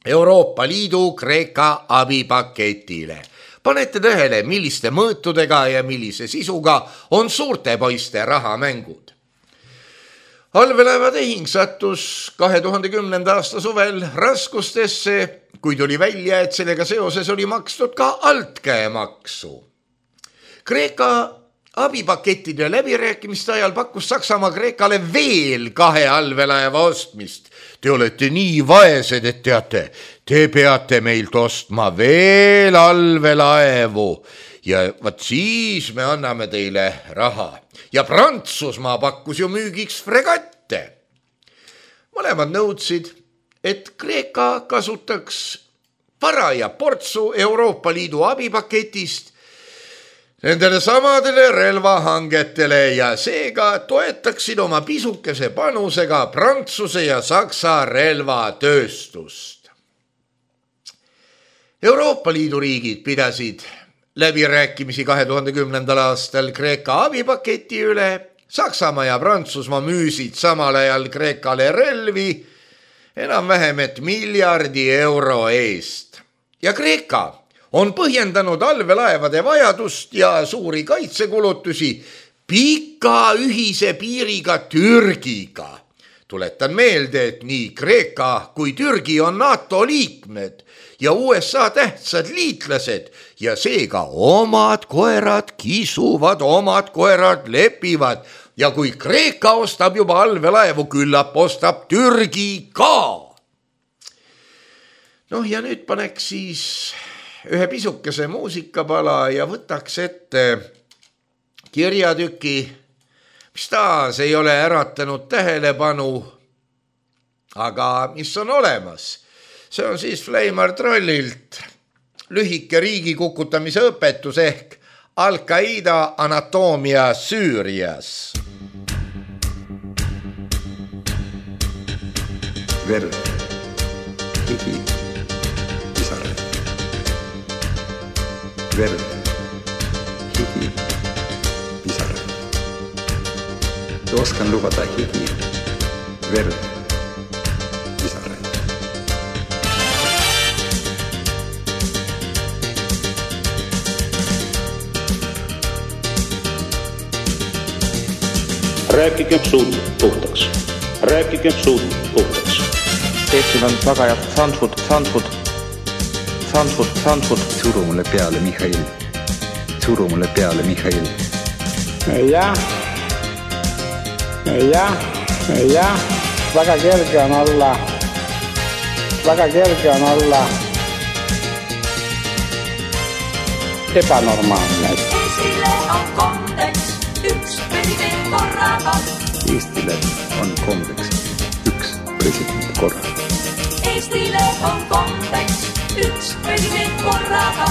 Speaker 3: Euroopa Liidu Kreeka abipaketile. Panete tähele, milliste mõõtudega ja millise sisuga on suurte poiste rahamängud. Allveelaeva tehing sattus kahe tuhande kümnenda aasta suvel raskustesse, kui tuli välja, et sellega seoses oli makstud ka altkäemaksu. Kreeka abipakettide läbirääkimiste ajal pakkus Saksamaa Kreekale veel kahe allveelaeva ostmist. Te olete nii vaesed, et teate, te peate meilt ostma veel allveelaevu ja vaat siis me anname teile raha. Ja Prantsusmaa pakkus ju müügiks fregatte. Mõlemad nõudsid, et Kreeka kasutaks paraja portsu Euroopa Liidu abipaketist nendele samadele relvahangetele ja seega toetaksid oma pisukese panusega Prantsuse ja Saksa relvatööstust. Euroopa Liidu riigid pidasid läbirääkimisi kahe tuhande kümnendal aastal Kreeka abipaketi üle. Saksamaa ja Prantsusmaa müüsid samal ajal Kreekale relvi enam vähem et miljardi euro eest. Ja Kreeka on põhjendanud allveelaevade vajadust ja suuri kaitsekulutusi pika ühise piiriga Türgiga. Tuletan meelde, et nii Kreeka kui Türgi on NATO liikmed ja U S A tähtsad liitlased ja seega omad koerad kisuvad, omad koerad lepivad ja kui Kreeka ostab juba allveelaevu, küllap ostab Türgi ka. Noh ja nüüd paneks siis ühe pisukese muusikapala ja võtaks ette kirjatüki, mis taas ei ole äratanud tähelepanu, aga mis on olemas. See on siis Fleimar Trollilt lühike riigi kukutamise õpetus ehk Al-Qaida anatoomia Süürias.
Speaker 2: Verd, higi, pisare. Verd, higi, pisare. Oskan lubada higi, verd, pisare.
Speaker 4: Rääkigem suud puhtaks. Rääkigem suud puhtaks.
Speaker 5: Eestil on tagajad Sandford, Sandford, Sandford, Sandford.
Speaker 2: Suru mulle peale, Mihhail. Suru mulle peale, Mihhail.
Speaker 6: Jah, jah, jah, väga kerge on olla, väga kerge on olla ebanormaalne.
Speaker 7: Eestile on kombeks üks president korraga.
Speaker 2: Eestile on kombeks üks president korraga.
Speaker 7: Eestile on kombeks üks president korraga.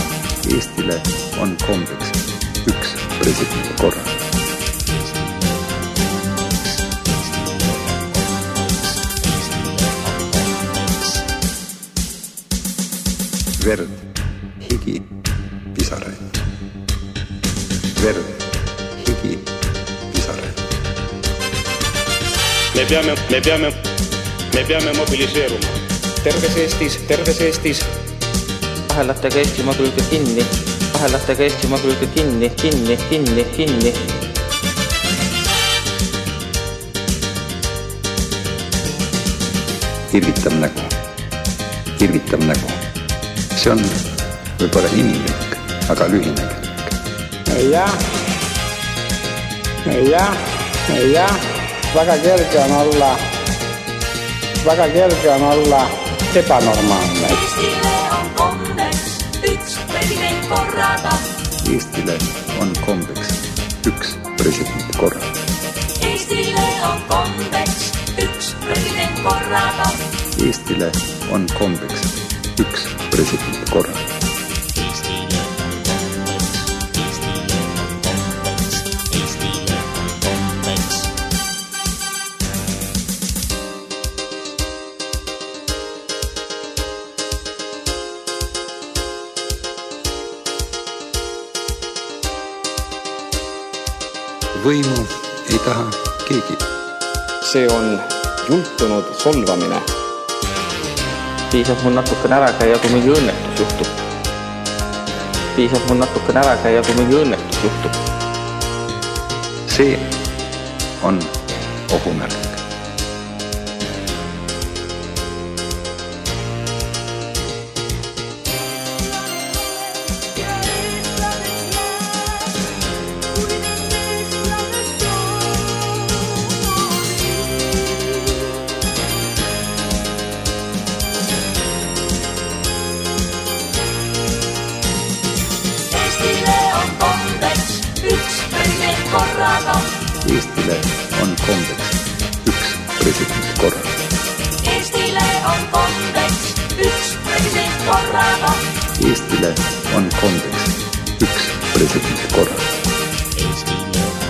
Speaker 2: Eestile on kombeks üks president korraga. Verd, higi, pisare. Verd, higi, pisare.
Speaker 4: Me peame, me peame, me peame mobiliseeruma.
Speaker 5: Terves Eestis, terves Eestis kahelatega Eestimaa külge kinni, kahelatega Eestimaa külge kinni, kinni, kinni, kinni.
Speaker 2: Irvitab nägu, irvitab nägu. See on võib-olla inimlik, aga lühinägelik.
Speaker 6: Jah, jah, jah, väga kerge on olla, väga kerge on olla ebanormaalne.
Speaker 7: Eestile on kombeks üks president korraga.
Speaker 2: Eestile on kombeks üks president korraga.
Speaker 7: Eestile on kombeks üks president korraga.
Speaker 2: Eestile on kombeks üks president korraga.
Speaker 7: Eestile on kombeks, Eestile on kombeks, Eestile on kombeks.
Speaker 2: Võimu ei taha keegi.
Speaker 8: See on jultunud solvamine.
Speaker 5: Piisab mul natukene ära käia, kui mingi õnnetus juhtub. Piisab mul natukene ära käia, kui mingi õnnetus juhtub.
Speaker 2: See on ohumärk. Eestile on kombeks üks president korraga.
Speaker 7: Eestile on kombeks üks president korraga.
Speaker 2: Eestile on kombeks üks president korraga.
Speaker 7: Eestile on kombeks, Eestile on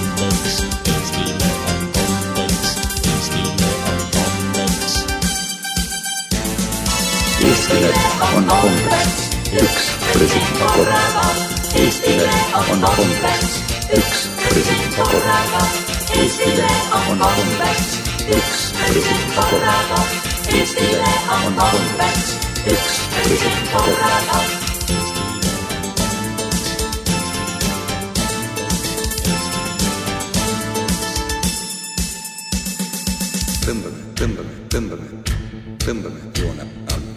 Speaker 7: kombeks, Eestile on kombeks.
Speaker 2: Eestile on kombeks üks president korraga. Eestile on kombeks üks president korraga. Eestile on kombeks üks president korraga. Eestile on kombeks üks president korraga. Tõmbame, tõmbame, tõmbame, tõmbame joone alla.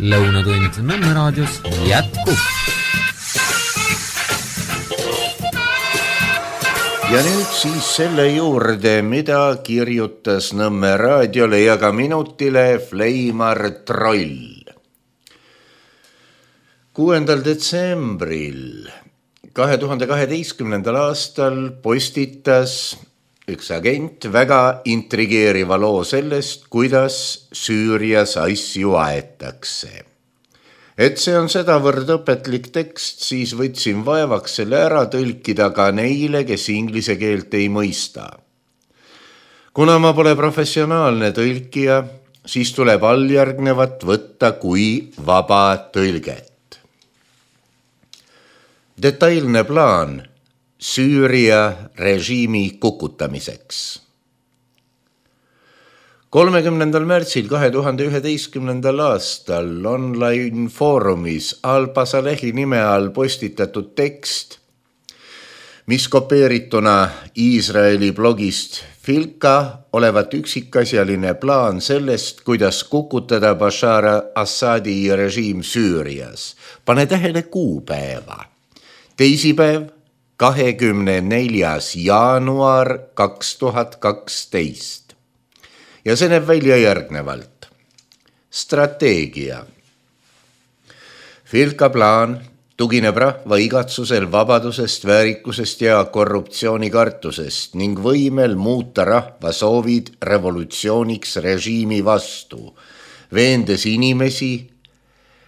Speaker 1: Lõunatund Nõmme raadios jätkub.
Speaker 3: Ja nüüd siis selle juurde, mida kirjutas Nõmme raadiole ja ka minutile Fleimar Troll. kuuendal detsembril kahe tuhande kaheteistkümnendal aastal postitas üks agent väga intrigeeriva loo sellest, kuidas Süürias asju aetakse. Et see on sedavõrd õpetlik tekst, siis võtsin vaevaks selle ära tõlkida ka neile, kes inglise keelt ei mõista. Kuna ma pole professionaalne tõlkija, siis tuleb alljärgnevat võtta kui vaba tõlget. Detailne plaan Süüria režiimi kukutamiseks. kolmekümnendal märtsil kahe tuhande üheteistkümnendal aastal online foorumis Al-Basalehi nime all postitatud tekst, mis kopeerituna Iisraeli blogist Filka olevat üksikasjaline plaan sellest, kuidas kukutada Bashar Assadi režiim Süürias. Pane tähele kuupäeva. Teisipäev, kahekümne neljas jaanuar kaks tuhat kaksteist. Ja see näeb välja järgnevalt. Strateegia. Filka plaan tugineb rahva igatsusel vabadusest, väärikusest ja korruptsioonikartusest ning võimel muuta rahva soovid revolutsiooniks režiimi vastu, veendes inimesi,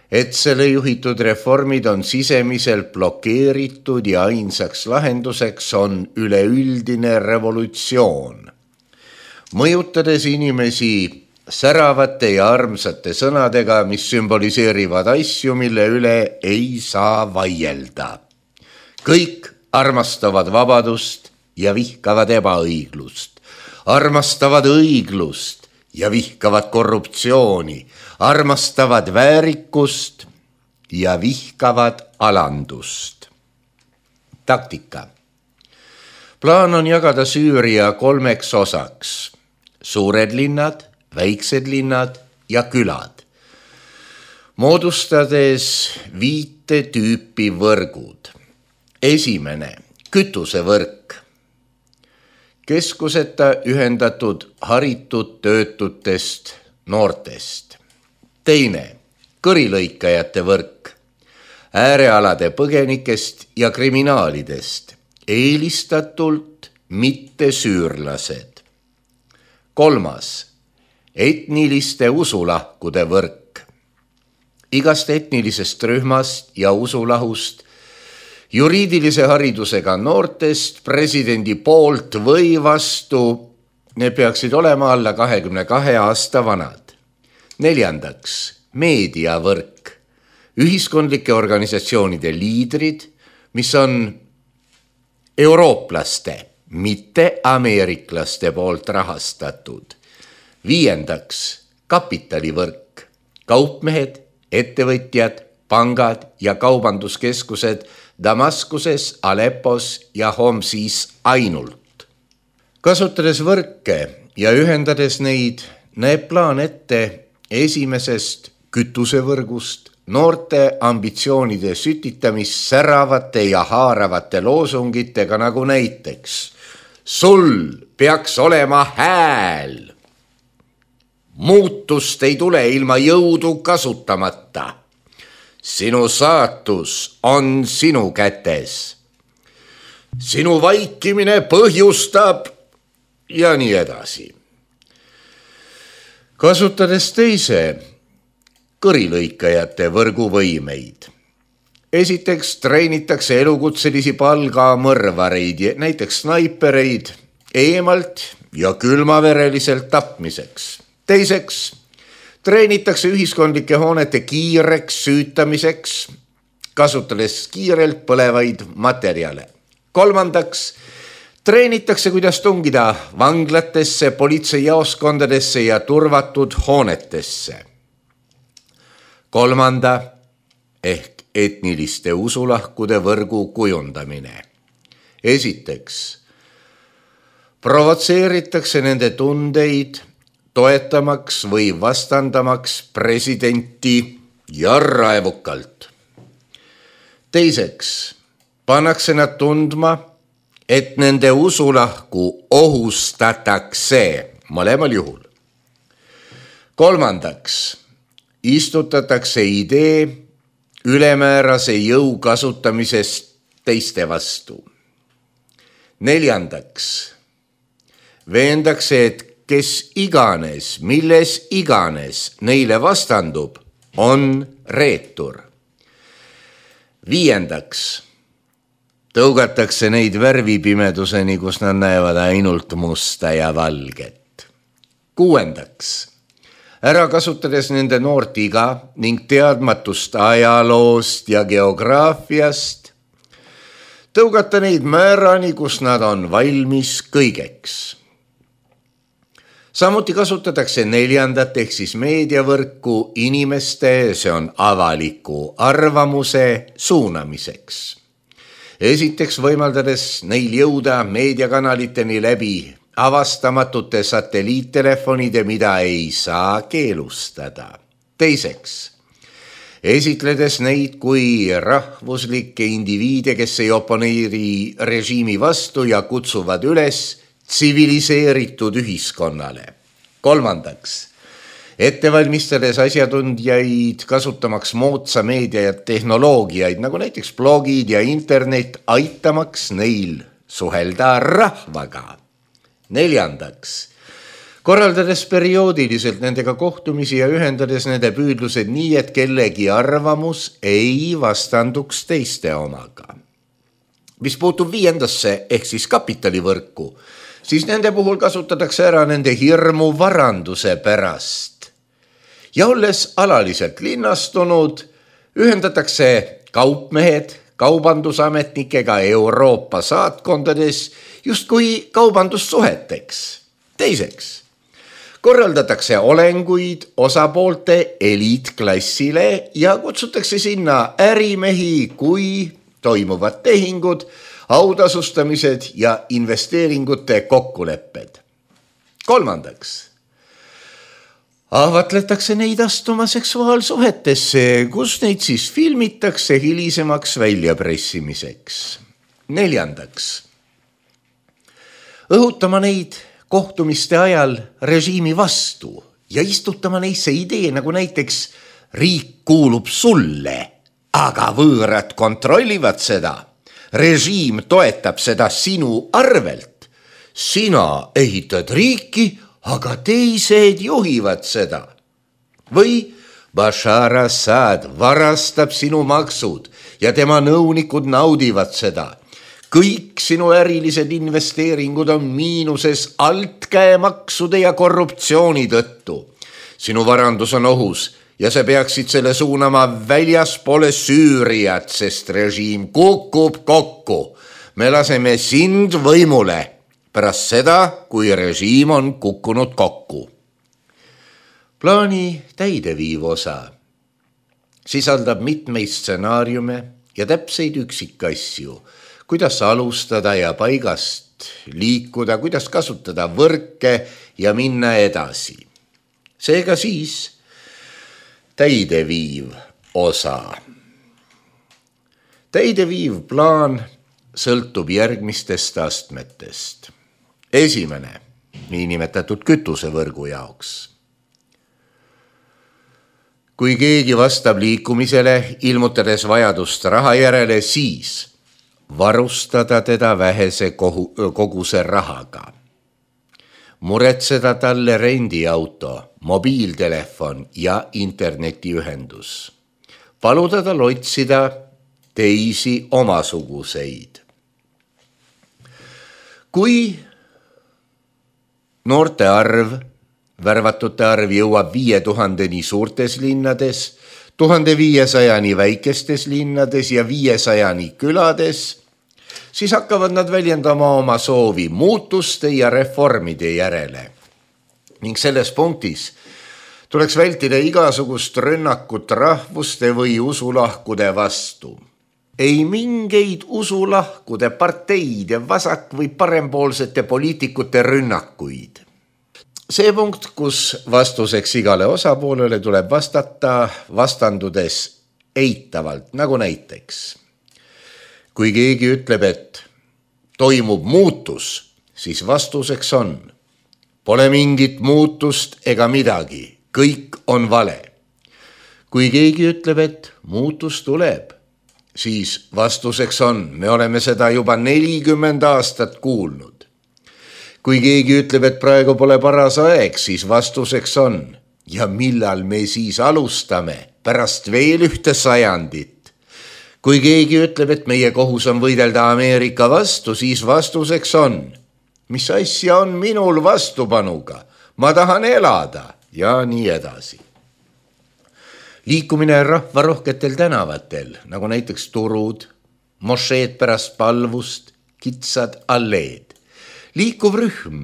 Speaker 3: et selle juhitud reformid on sisemiselt blokeeritud ja ainsaks lahenduseks on üleüldine revolutsioon. Mõjutades inimesi säravate ja armsate sõnadega, mis sümboliseerivad asju, mille üle ei saa vaielda. Kõik armastavad vabadust ja vihkavad ebaõiglust. Armastavad õiglust ja vihkavad korruptsiooni, armastavad väärikust ja vihkavad alandust. Taktika. Plaan on jagada Süüria kolmeks osaks. Suured linnad, väiksed linnad ja külad. Moodustades viite tüüpi võrgud. Esimene, kütusevõrk. Keskuseta ühendatud haritud töötutest noortest. Teine, kõrilõikajate võrk. Äärealade põgenikest ja kriminaalidest. Eelistatult mitte süürlased. Kolmas, etniliste usulahkude võrk. Igast etnilisest rühmast ja usulahust, juriidilise haridusega noortest presidendi poolt või vastu, ne peaksid olema alla kahekümne kahe aasta vanad. Neljandaks, meediavõrk. Ühiskondlike organisatsioonide liidrid, mis on eurooplaste, mitte ameeriklaste poolt rahastatud. Viiendaks, kapitalivõrk. Kaupmehed, ettevõtjad, pangad ja kaubanduskeskused Damaskuses, Aleppos ja Homsis ainult. Kasutades võrke ja ühendades neid, näeb plaan ette esimesest kütusevõrgust noorte ambitsioonide sütitamist säravate ja haaravate loosungitega nagu näiteks sul peaks olema hääl. Muutust ei tule ilma jõudu kasutamata. Sinu saatus on sinu kätes. Sinu vaikimine põhjustab ja nii edasi. Kasutades teise kõrilõikajate võrguvõimeid. Esiteks treenitakse elukutselisi palgamõrvareid, näiteks snaipereid, eemalt ja külmavereliselt tapmiseks. Teiseks treenitakse ühiskondlike hoonete kiireks süütamiseks, kasutades kiirelt põlevaid materjale. Kolmandaks treenitakse, kuidas tungida vanglatesse, politseijaoskondadesse ja turvatud hoonetesse. Kolmanda ehk etniliste usulahkude võrgu kujundamine. Esiteks provotseeritakse nende tundeid toetamaks või vastandamaks presidenti ja raevukalt. Teiseks pannakse nad tundma, et nende usulahku ohustatakse mõlemal juhul. Kolmandaks istutatakse idee ülemäärase jõu kasutamisest teiste vastu. Neljandaks veendakse, et kes iganes, milles iganes neile vastandub, on reetur. Viiendaks tõugatakse neid värvipimeduseni, kus nad näevad ainult musta ja valget. Kuuendaks ära kasutades nende noort iga ning teadmatust ajaloost ja geograafiast, tõugata neid määrani, kus nad on valmis kõigeks. Samuti kasutatakse neljandat ehk siis meediavõrku inimeste, see on avaliku arvamuse suunamiseks. Esiteks võimaldades neil jõuda meediakanaliteni läbi avastamatute satelliittelefonide, mida ei saa keelustada. Teiseks, esitledes neid kui rahvuslikke indiviide, kes ei oponeeri režiimi vastu ja kutsuvad üles tsiviliseeritud ühiskonnale. Kolmandaks, ettevalmistades asjatundjaid kasutamaks moodsa meedia ja tehnoloogiaid, nagu näiteks blogid ja internet, aitamaks neil suhelda rahvaga. Neljandaks, korraldades perioodiliselt nendega kohtumisi ja ühendades nende püüdlused nii, et kellegi arvamus ei vastanduks teiste omaga. Mis puutub viiendasse ehk siis kapitalivõrku, siis nende puhul kasutatakse ära nende hirmu varanduse pärast. Ja olles alaliselt linnastunud, ühendatakse kaupmehed kaubandusametnikega Euroopa saatkondades justkui kaubandussuheteks. Teiseks, korraldatakse olenguid osapoolte eliitklassile ja kutsutakse sinna ärimehi, kui toimuvad tehingud, autasustamised ja investeeringute kokkulepped. Kolmandaks, ahvatletakse neid astuma seksuaalsuhetesse, kus neid siis filmitakse hilisemaks väljapressimiseks. Neljandaks, õhutama neid kohtumiste ajal režiimi vastu ja istutama neisse idee, nagu näiteks riik kuulub sulle, aga võõrad kontrollivad seda. Režiim toetab seda sinu arvelt. Sina ehitad riiki, aga teised juhivad seda. Või Bashar Assad varastab sinu maksud ja tema nõunikud naudivad seda. Kõik sinu ärilised investeeringud on miinuses altkäemaksude ja korruptsiooni tõttu. Sinu varandus on ohus ja sa peaksid selle suunama väljaspoole Süüriat, sest režiim kukub kokku. Me laseme sind võimule pärast seda, kui režiim on kukkunud kokku. Plaani täideviiv osa sisaldab mitmeid stsenaariume ja täpseid üksikasju, kuidas alustada ja paigast liikuda, kuidas kasutada võrke ja minna edasi. Seega siis täideviiv osa. Täideviiv plaan sõltub järgmistest astmetest. Esimene, niinimetatud kütusevõrgu jaoks. Kui keegi vastab liikumisele, ilmutades vajadust raha järele, siis varustada teda vähese koguse rahaga. Muretseda talle rendiauto, mobiiltelefon ja internetiühendus. Paluda tal otsida teisi omasuguseid. Kui noorte arv, värvatute arv jõuab viie tuhandeni suurtes linnades, tuhande viiesajani väikestes linnades ja viiesajani külades, siis hakkavad nad väljendama oma soovi muutuste ja reformide järele. Ning selles punktis tuleks vältida igasugust rünnakut rahvuste või usulahkude vastu. Ei mingeid usulahkude, parteide, vasak- või parempoolsete poliitikute rünnakuid. See punkt, kus vastuseks igale osapoolele tuleb vastata vastandudes eitavalt, nagu näiteks. Kui keegi ütleb, et toimub muutus, siis vastuseks on. Pole mingit muutust ega midagi, kõik on vale. Kui keegi ütleb, et muutus tuleb, siis vastuseks on, me oleme seda juba nelikümmend aastat kuulnud. Kui keegi ütleb, et praegu pole paras aeg, siis vastuseks on. Ja millal me siis alustame pärast veel ühte sajandit? Kui keegi ütleb, et meie kohus on võidelda Ameerika vastu, siis vastuseks on. Mis asja on minul vastupanuga? Ma tahan elada ja nii edasi. Liikumine rahvarohketel tänavatel, nagu näiteks turud, mošeed pärast palvust, kitsad alleed. Liikuv rühm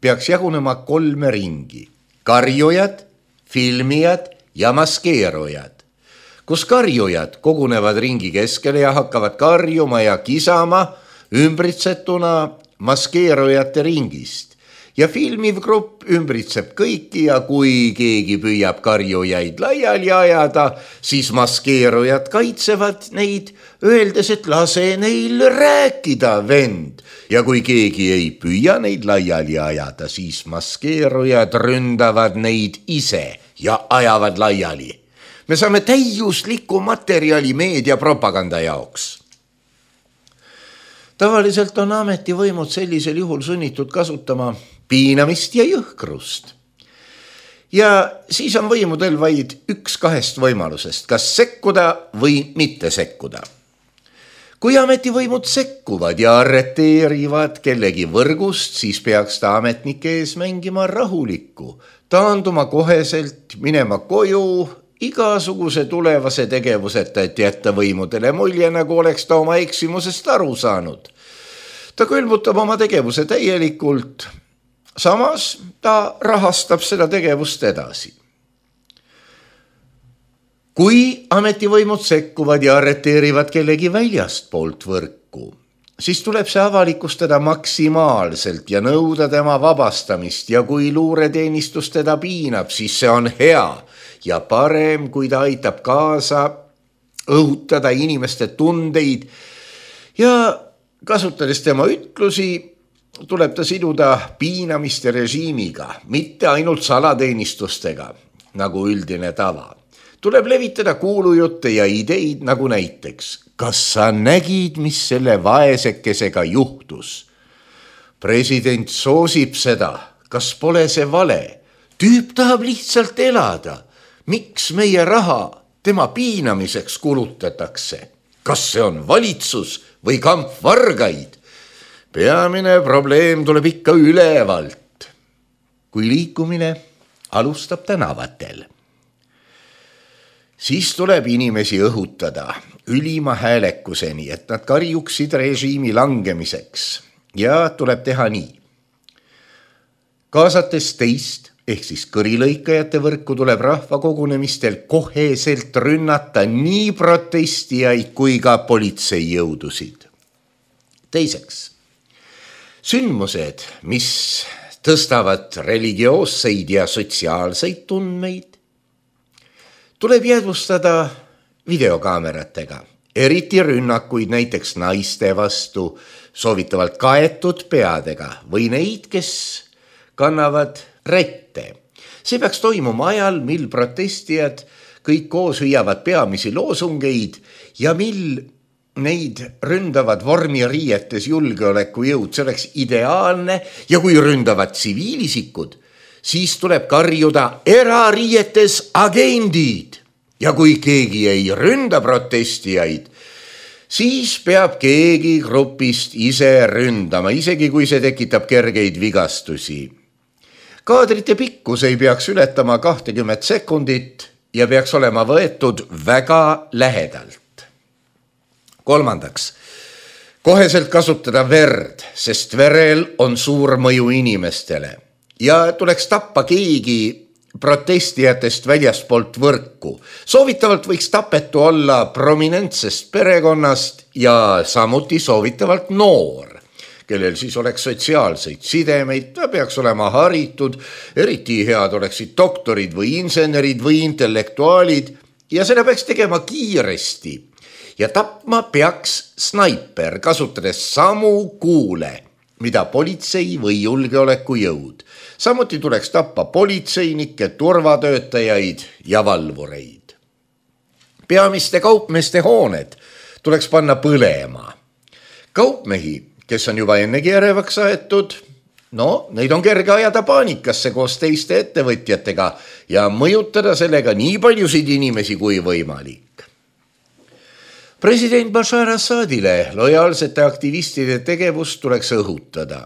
Speaker 3: peaks jagunema kolme ringi. Karjujad, filmijad ja maskeerujad. Kus karjujad kogunevad ringi keskele ja hakkavad karjuma ja kisama ümbritsetuna maskeerujate ringist. Ja filmiv grupp ümbritseb kõiki ja kui keegi püüab karjujaid laiali ajada, siis maskeerujad kaitsevad neid, öeldes, et lase neil rääkida, vend. Ja kui keegi ei püüa neid laiali ajada, siis maskeerujad ründavad neid ise ja ajavad laiali. Me saame täiuslikku materjali meediapropaganda jaoks. Tavaliselt on ametivõimud sellisel juhul sunnitud kasutama piinamist ja jõhkrust. Ja siis on võimudel vaid üks kahest võimalusest, kas sekkuda või mitte sekkuda. Kui ametivõimud sekkuvad ja arreteerivad kellegi võrgust, siis peaks ta ametnike ees mängima rahulikku, taanduma koheselt, minema koju, igasuguse tulevase tegevuseta, et jätta võimudele mulje, nagu oleks ta oma eksimusest aru saanud. Ta külmutab oma tegevuse täielikult, samas ta rahastab seda tegevust edasi. Kui ametivõimud sekkuvad ja arreteerivad kellegi väljast poolt võrku, siis tuleb see avalikustada maksimaalselt ja nõuda tema vabastamist ja kui luureteenistus teda piinab, siis see on hea ja parem, kui ta aitab kaasa õhutada inimeste tundeid ja kasutades tema ütlusi, tuleb ta siduda piinamiste režiimiga, mitte ainult salateenistustega, nagu üldine tava. Tuleb levitada kuulujutte ja ideid nagu näiteks, kas sa nägid, mis selle vaesekesega juhtus? President soosib seda, kas pole see vale? Tüüp tahab lihtsalt elada. Miks meie raha tema piinamiseks kulutatakse? Kas see on valitsus või kamp vargaid? Peamine probleem tuleb ikka ülevalt, kui liikumine alustab tänavatel. Siis tuleb inimesi õhutada ülima häälekuseni, et nad karjuksid režiimi langemiseks ja tuleb teha nii. Kaasates teist, ehk siis kõrilõikajate võrku tuleb rahvakogunemistel koheselt rünnata nii protestijaid kui ka politseijõudusid. Teiseks, sündmused, mis tõstavad religioosseid ja sotsiaalseid tundmeid, tuleb jäädvustada videokaameratega, eriti rünnakuid näiteks naiste vastu, soovitavalt kaetud peadega või neid, kes kannavad rätte. See peaks toimuma ajal, mil protestijad kõik koos hüüavad peamisi loosungeid ja mil neid ründavad vormiriietes julgeolekujõud. See oleks ideaalne ja kui ründavad tsiviilisikud, siis tuleb karjuda erariietes agendid ja kui keegi ei ründa protestijaid, siis peab keegi grupist ise ründama, isegi kui see tekitab kergeid vigastusi. Kaadrite pikkus ei peaks ületama kakskümmend sekundit ja peaks olema võetud väga lähedalt. Kolmandaks, koheselt kasutada verd, sest verel on suur mõju inimestele. Ja tuleks tappa keegi protestijatest väljaspoolt võrku. Soovitavalt võiks tapetu olla prominentsest perekonnast ja samuti soovitavalt noor, kellel siis oleks sotsiaalseid sidemeid, ta peaks olema haritud, eriti head oleksid doktorid või insenerid või intellektuaalid ja seda peaks tegema kiiresti ja tapma peaks snaiper, kasutades samu kuule, mida politsei või julgeolekujõud. Samuti tuleks tappa politseinikke, turvatöötajaid ja valvureid. Peamiste kaupmeeste hooned tuleks panna põlema. Kaupmehi, kes on juba ennegi ärevaks aetud, no, neid on kerge ajada paanikasse koos teiste ettevõtjatega ja mõjutada sellega nii paljusid inimesi kui võimalik. President Bashar Assadile lojaalsete aktivistide tegevust tuleks õhutada.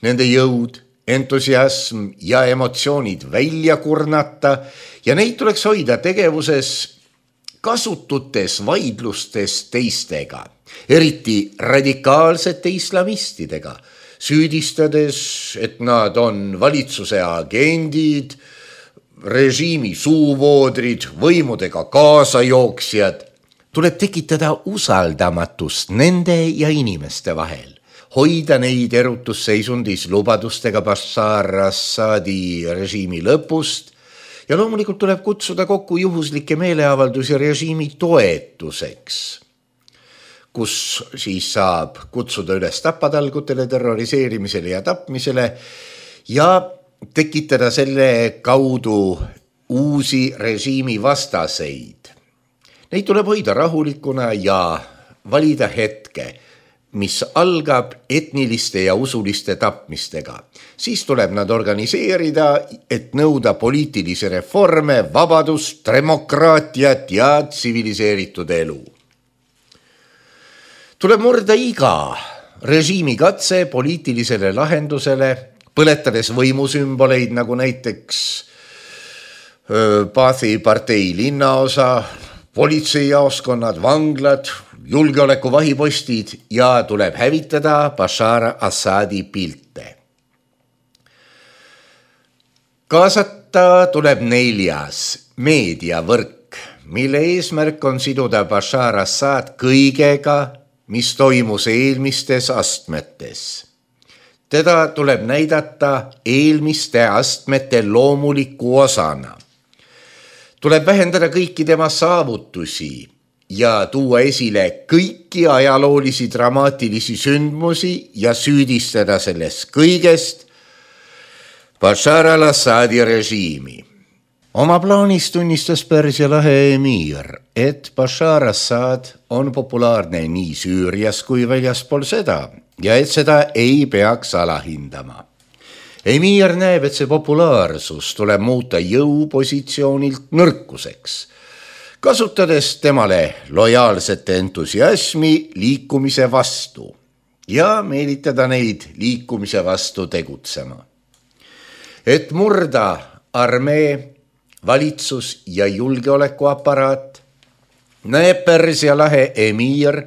Speaker 3: Nende jõud, entusiasm ja emotsioonid välja kurnata ja neid tuleks hoida tegevuses kasututes vaidlustes teistega, eriti radikaalsete islamistidega, süüdistades, et nad on valitsuse agendid, režiimi suuvoodrid, võimudega kaasajooksjad. Tuleb tekitada usaldamatust nende ja inimeste vahel, hoida neid erutusseisundis lubadustega Bashar Assadi režiimi lõpust ja loomulikult tuleb kutsuda kokku juhuslikke meeleavaldusi režiimi toetuseks, kus siis saab kutsuda üles tapatalgutele, terroriseerimisele ja tapmisele ja tekitada selle kaudu uusi režiimi vastaseid. Neid tuleb hoida rahulikuna ja valida hetke, mis algab etniliste ja usuliste tapmistega. Siis tuleb nad organiseerida, et nõuda poliitilisi reforme, vabadust, demokraatiat ja tsiviliseeritud elu. Tuleb murda iga režiimi katse poliitilisele lahendusele, põletades võimusümboleid nagu näiteks Baathi partei linnaosa, politseijaoskonnad, vanglad, julgeolekuvahipostid ja tuleb hävitada Bashar Assadi pilte. Kaasata tuleb neljas meediavõrk, mille eesmärk on siduda Bashar Assad kõigega, mis toimus eelmistes astmetes. Teda tuleb näidata eelmiste astmete loomuliku osana. Tuleb vähendada kõiki tema saavutusi ja tuua esile kõiki ajaloolisi dramaatilisi sündmusi ja süüdistada sellest kõigest Bashar al-Assadi režiimi. Oma plaanis tunnistas Pärsia lahe emiir, et Bashar Assad on populaarne nii Süürias kui väljaspool seda ja et seda ei peaks alahindama. Emiir näeb, et see populaarsus tuleb muuta jõupositsioonilt nõrkuseks, kasutades temale lojaalsete entusiasmi liikumise vastu ja meelitada neid liikumise vastu tegutsema. Et murda armee, valitsus ja julgeolekuaparaat, näeb Pärsia lahe emiir,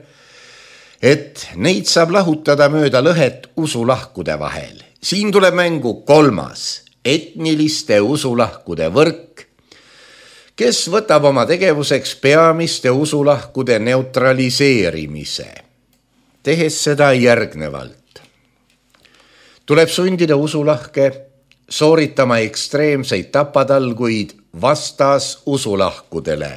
Speaker 3: et neid saab lahutada mööda lõhet usulahkude vahel. Siin tuleb mängu kolmas, etniliste usulahkude võrk, kes võtab oma tegevuseks peamiste usulahkude neutraliseerimise, tehes seda järgnevalt. Tuleb sundida usulahke sooritama ekstreemseid tapatalguid vastas usulahkudele,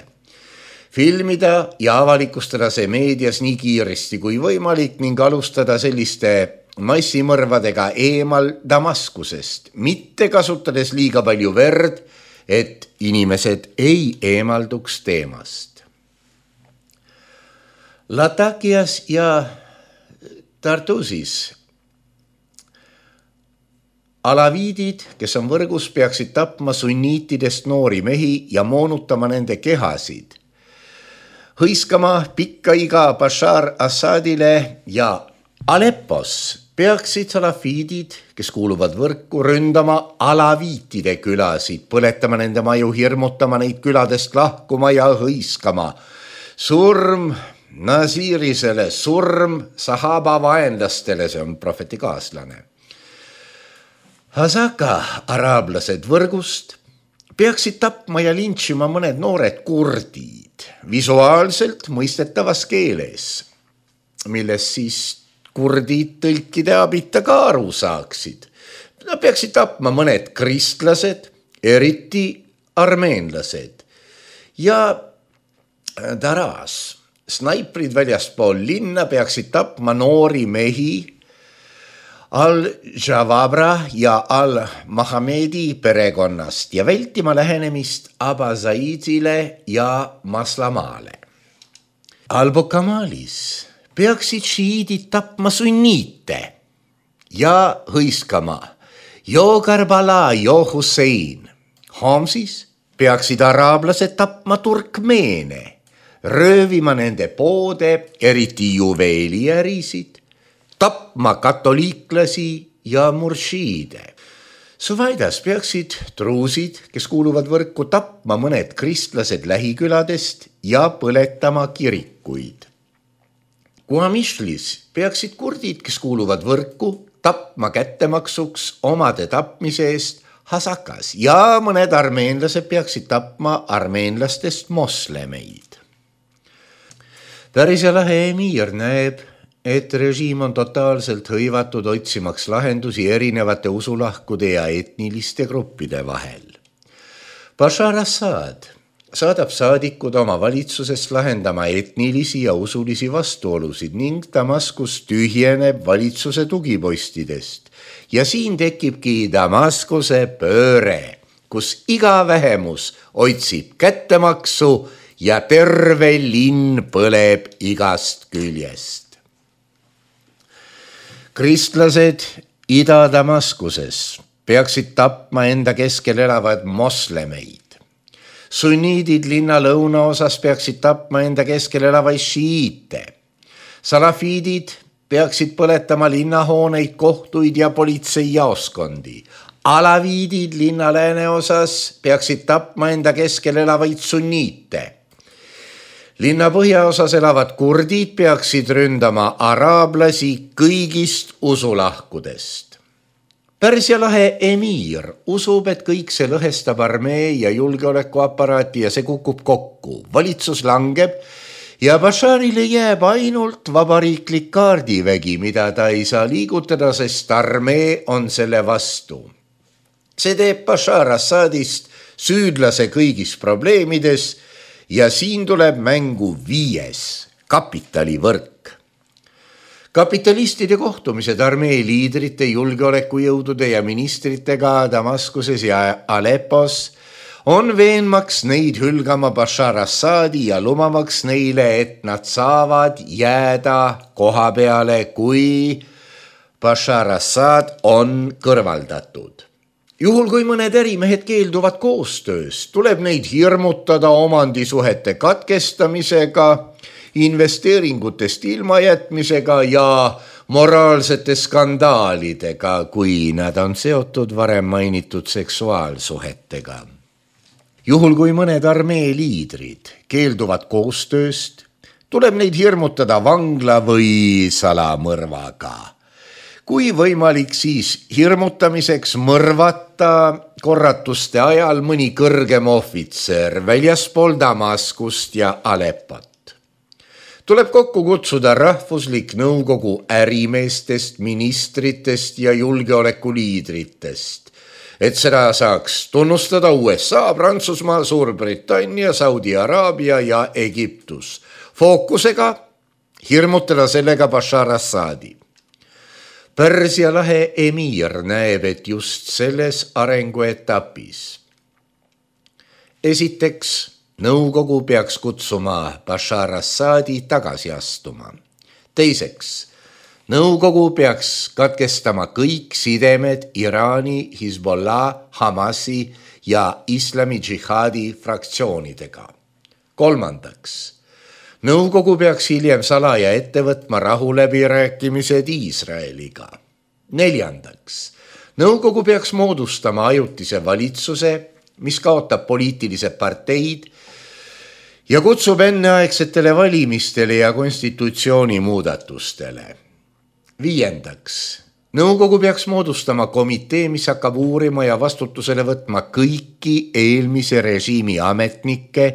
Speaker 3: filmida ja avalikustada see meedias nii kiiresti kui võimalik ning alustada selliste massimõrvadega eemal Damaskusest, mitte kasutades liiga palju verd, et inimesed ei eemalduks teemast. Latakias ja Tartusis alaviidid, kes on võrgus, peaksid tapma sunniitidest noori mehi ja moonutama nende kehasid, hõiskama pikka iga Bashar Assadile ja Aleppos peaksid salafiidid, kes kuuluvad võrku, ründama alaviitide külasid, põletama nende maju, hirmutama neid küladest lahkuma ja hõiskama. Surm Nasirisele, surm sahaba vaenlastele, see on prohveti kaaslane. Hasaka araablased võrgust peaksid tapma ja lintšima mõned noored kurdid visuaalselt mõistetavas keeles, milles siis kurdid tõlkide abita ka aru saaksid. Nad peaksid tapma mõned kristlased, eriti armeenlased ja Daras. Snaiprid väljaspool linna peaksid tapma noori mehi Al-Jawabra ja Al-Mahamedi perekonnast ja vältima lähenemist Aba Zaidile ja Maslamale. Al-Bukamalis peaksid šiidid tapma sunniite ja hõiskama Jo Karbala, Jo Hussein. Homsis peaksid araablased tapma turkmeene, röövima nende poode, eriti juveeliärisid, tapma katoliiklasi ja muršiide. Suvaidas peaksid truusid, kes kuuluvad võrku, tapma mõned kristlased lähiküladest ja põletama kirikuid. Kuamishlis peaksid kurdid, kes kuuluvad võrku, tapma kättemaksuks omade tapmise eest Hasakas ja mõned armeenlased peaksid tapma armeenlastest moslemeid. Pärsia lahe emiir näeb, et režiim on totaalselt hõivatud otsimaks lahendusi erinevate usulahkude ja etniliste gruppide vahel. Bashar Assad saadab saadikud oma valitsusest lahendama etnilisi ja usulisi vastuolusid ning Damaskus tühjeneb valitsuse tugipostidest. Ja siin tekibki Damaskuse pööre, kus iga vähemus otsib kättemaksu ja terve linn põleb igast küljest. Kristlased Ida-Damaskuses peaksid tapma enda keskel elavad moslemeid. Sunniidid linna lõunaosas peaksid tapma enda keskel elavaid šiite. Salafiidid peaksid põletama linnahooneid, kohtuid ja politseijaoskondi. Alaviidid linna lääneosas peaksid tapma enda keskel elavaid sunniite. Linna põhjaosas elavad kurdid peaksid ründama araablasi kõigist usulahkudest. Pärsia lahe emiir usub, et kõik see lõhestab armee ja julgeolekuaparaati ja see kukub kokku. Valitsus langeb ja Basharile jääb ainult vabariiklik kaardivägi, mida ta ei saa liigutada, sest armee on selle vastu. See teeb Bashar Assadist süüdlase kõigis probleemides ja siin tuleb mängu viies, kapitalivõrk. Kapitalistide kohtumised armee liidrite, julgeolekujõudude ja ministritega Damaskuses ja Aleppos on veenmaks neid hülgama Bashar Assadi ja lumamaks neile, et nad saavad jääda koha peale, kui Bashar Assad on kõrvaldatud. Juhul kui mõned ärimehed keelduvad koostöös, tuleb neid hirmutada omandisuhete katkestamisega, investeeringutest ilmajätmisega ja moraalsete skandaalidega, kui nad on seotud varem mainitud seksuaalsuhetega. Juhul kui mõned armee liidrid keelduvad koostööst, tuleb neid hirmutada vangla või salamõrvaga. Kui võimalik, siis hirmutamiseks mõrvata korratuste ajal mõni kõrgem ohvitser väljaspool Damaskust ja Aleppot. Tuleb kokku kutsuda rahvuslik nõukogu ärimeestest, ministritest ja julgeolekuliidritest, et seda saaks tunnustada U S A, Prantsusmaa, Suurbritannia, Saudi Araabia ja Egiptus. Fookusega hirmutada sellega Bashar Assadi. Pärsia lahe emiir näeb, et just selles arenguetapis. Esiteks, nõukogu peaks kutsuma Bashar Assadi tagasi astuma. Teiseks, nõukogu peaks katkestama kõik sidemed Iraani, Hezbollah, Hamasi ja Islami džihaadi fraktsioonidega. Kolmandaks, nõukogu peaks hiljem salaja ette võtma rahuläbirääkimised Iisraeliga. Neljandaks, nõukogu peaks moodustama ajutise valitsuse, mis kaotab poliitilised parteid ja kutsub enneaegsetele valimistele ja konstitutsiooni muudatustele. Viiendaks, nõukogu peaks moodustama komitee, mis hakkab uurima ja vastutusele võtma kõiki eelmise režiimi ametnikke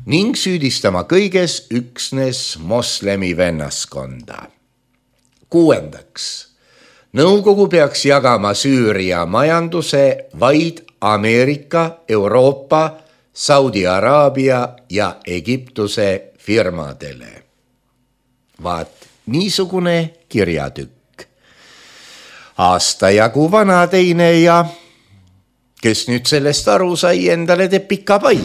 Speaker 3: ning süüdistama kõiges üksnes moslemi vennaskonda. Kuuendaks, nõukogu peaks jagama Süüria majanduse vaid Ameerika, Euroopa, Saudi Araabia ja Egiptuse firmadele. Vaat niisugune kirjatükk. Aasta jagu vana teine ja kes nüüd sellest aru sai, endale teeb pika pai.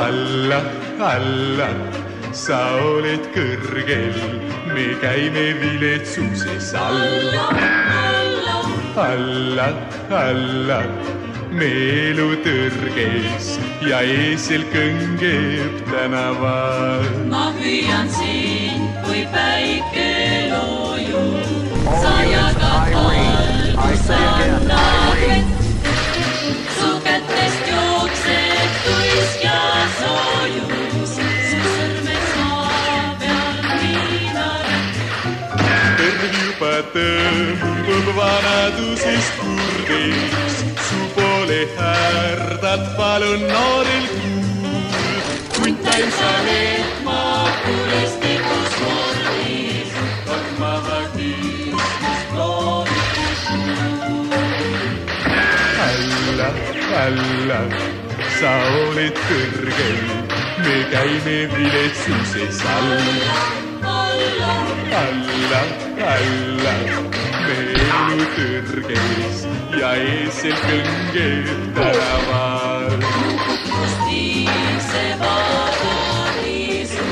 Speaker 9: Alla, alla, sa oled kõrgel, me käime viletsuses alla. Alla, alla, me elu tõrges ja eesel kõngeb tänaval.
Speaker 7: Ma hüüan siin, kui päike loojub, sa jagad valgus annad vett. Su kätest jookseb tuisk ja soojus, su sõrmed saa peal viinaret.
Speaker 9: Terv juba tõmbub vanadusest kurdeks, su poole härdad palun noorel kuul. Kuntain sa need makulistikus mordis, kordmaha kiistus loodus kuul. Alla, alla, sa oled kõrgel, me käime viletsuses alla. Alla, alla, alla, me elu tõrges ja eesel kõngeb tänaval.
Speaker 7: Kust viise vabariisu,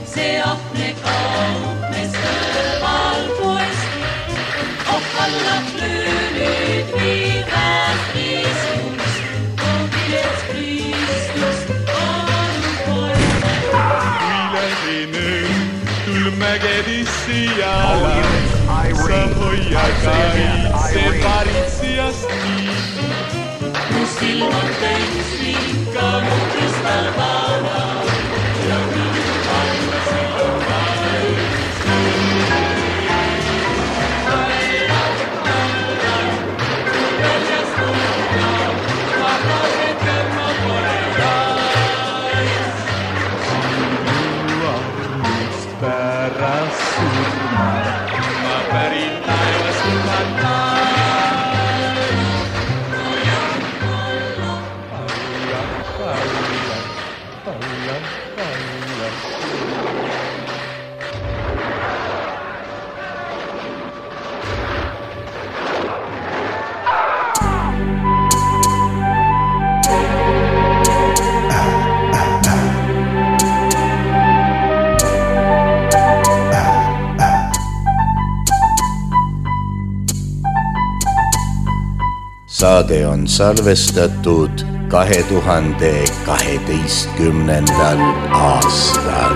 Speaker 7: see ahne kaupmes kõrval poest. Ohkallab löönid viivast riisus, koogilets Kristus palun poest.
Speaker 9: Viilasine mägedisse jala, sa hoia kaitse paritsijast nii.
Speaker 7: Mu silm on tõnsvika, mu kristallpala,
Speaker 9: ära surma. Ma pärin taevast lubata.
Speaker 3: Saade on salvestatud kahe tuhande kaheteistkümnendal aastal.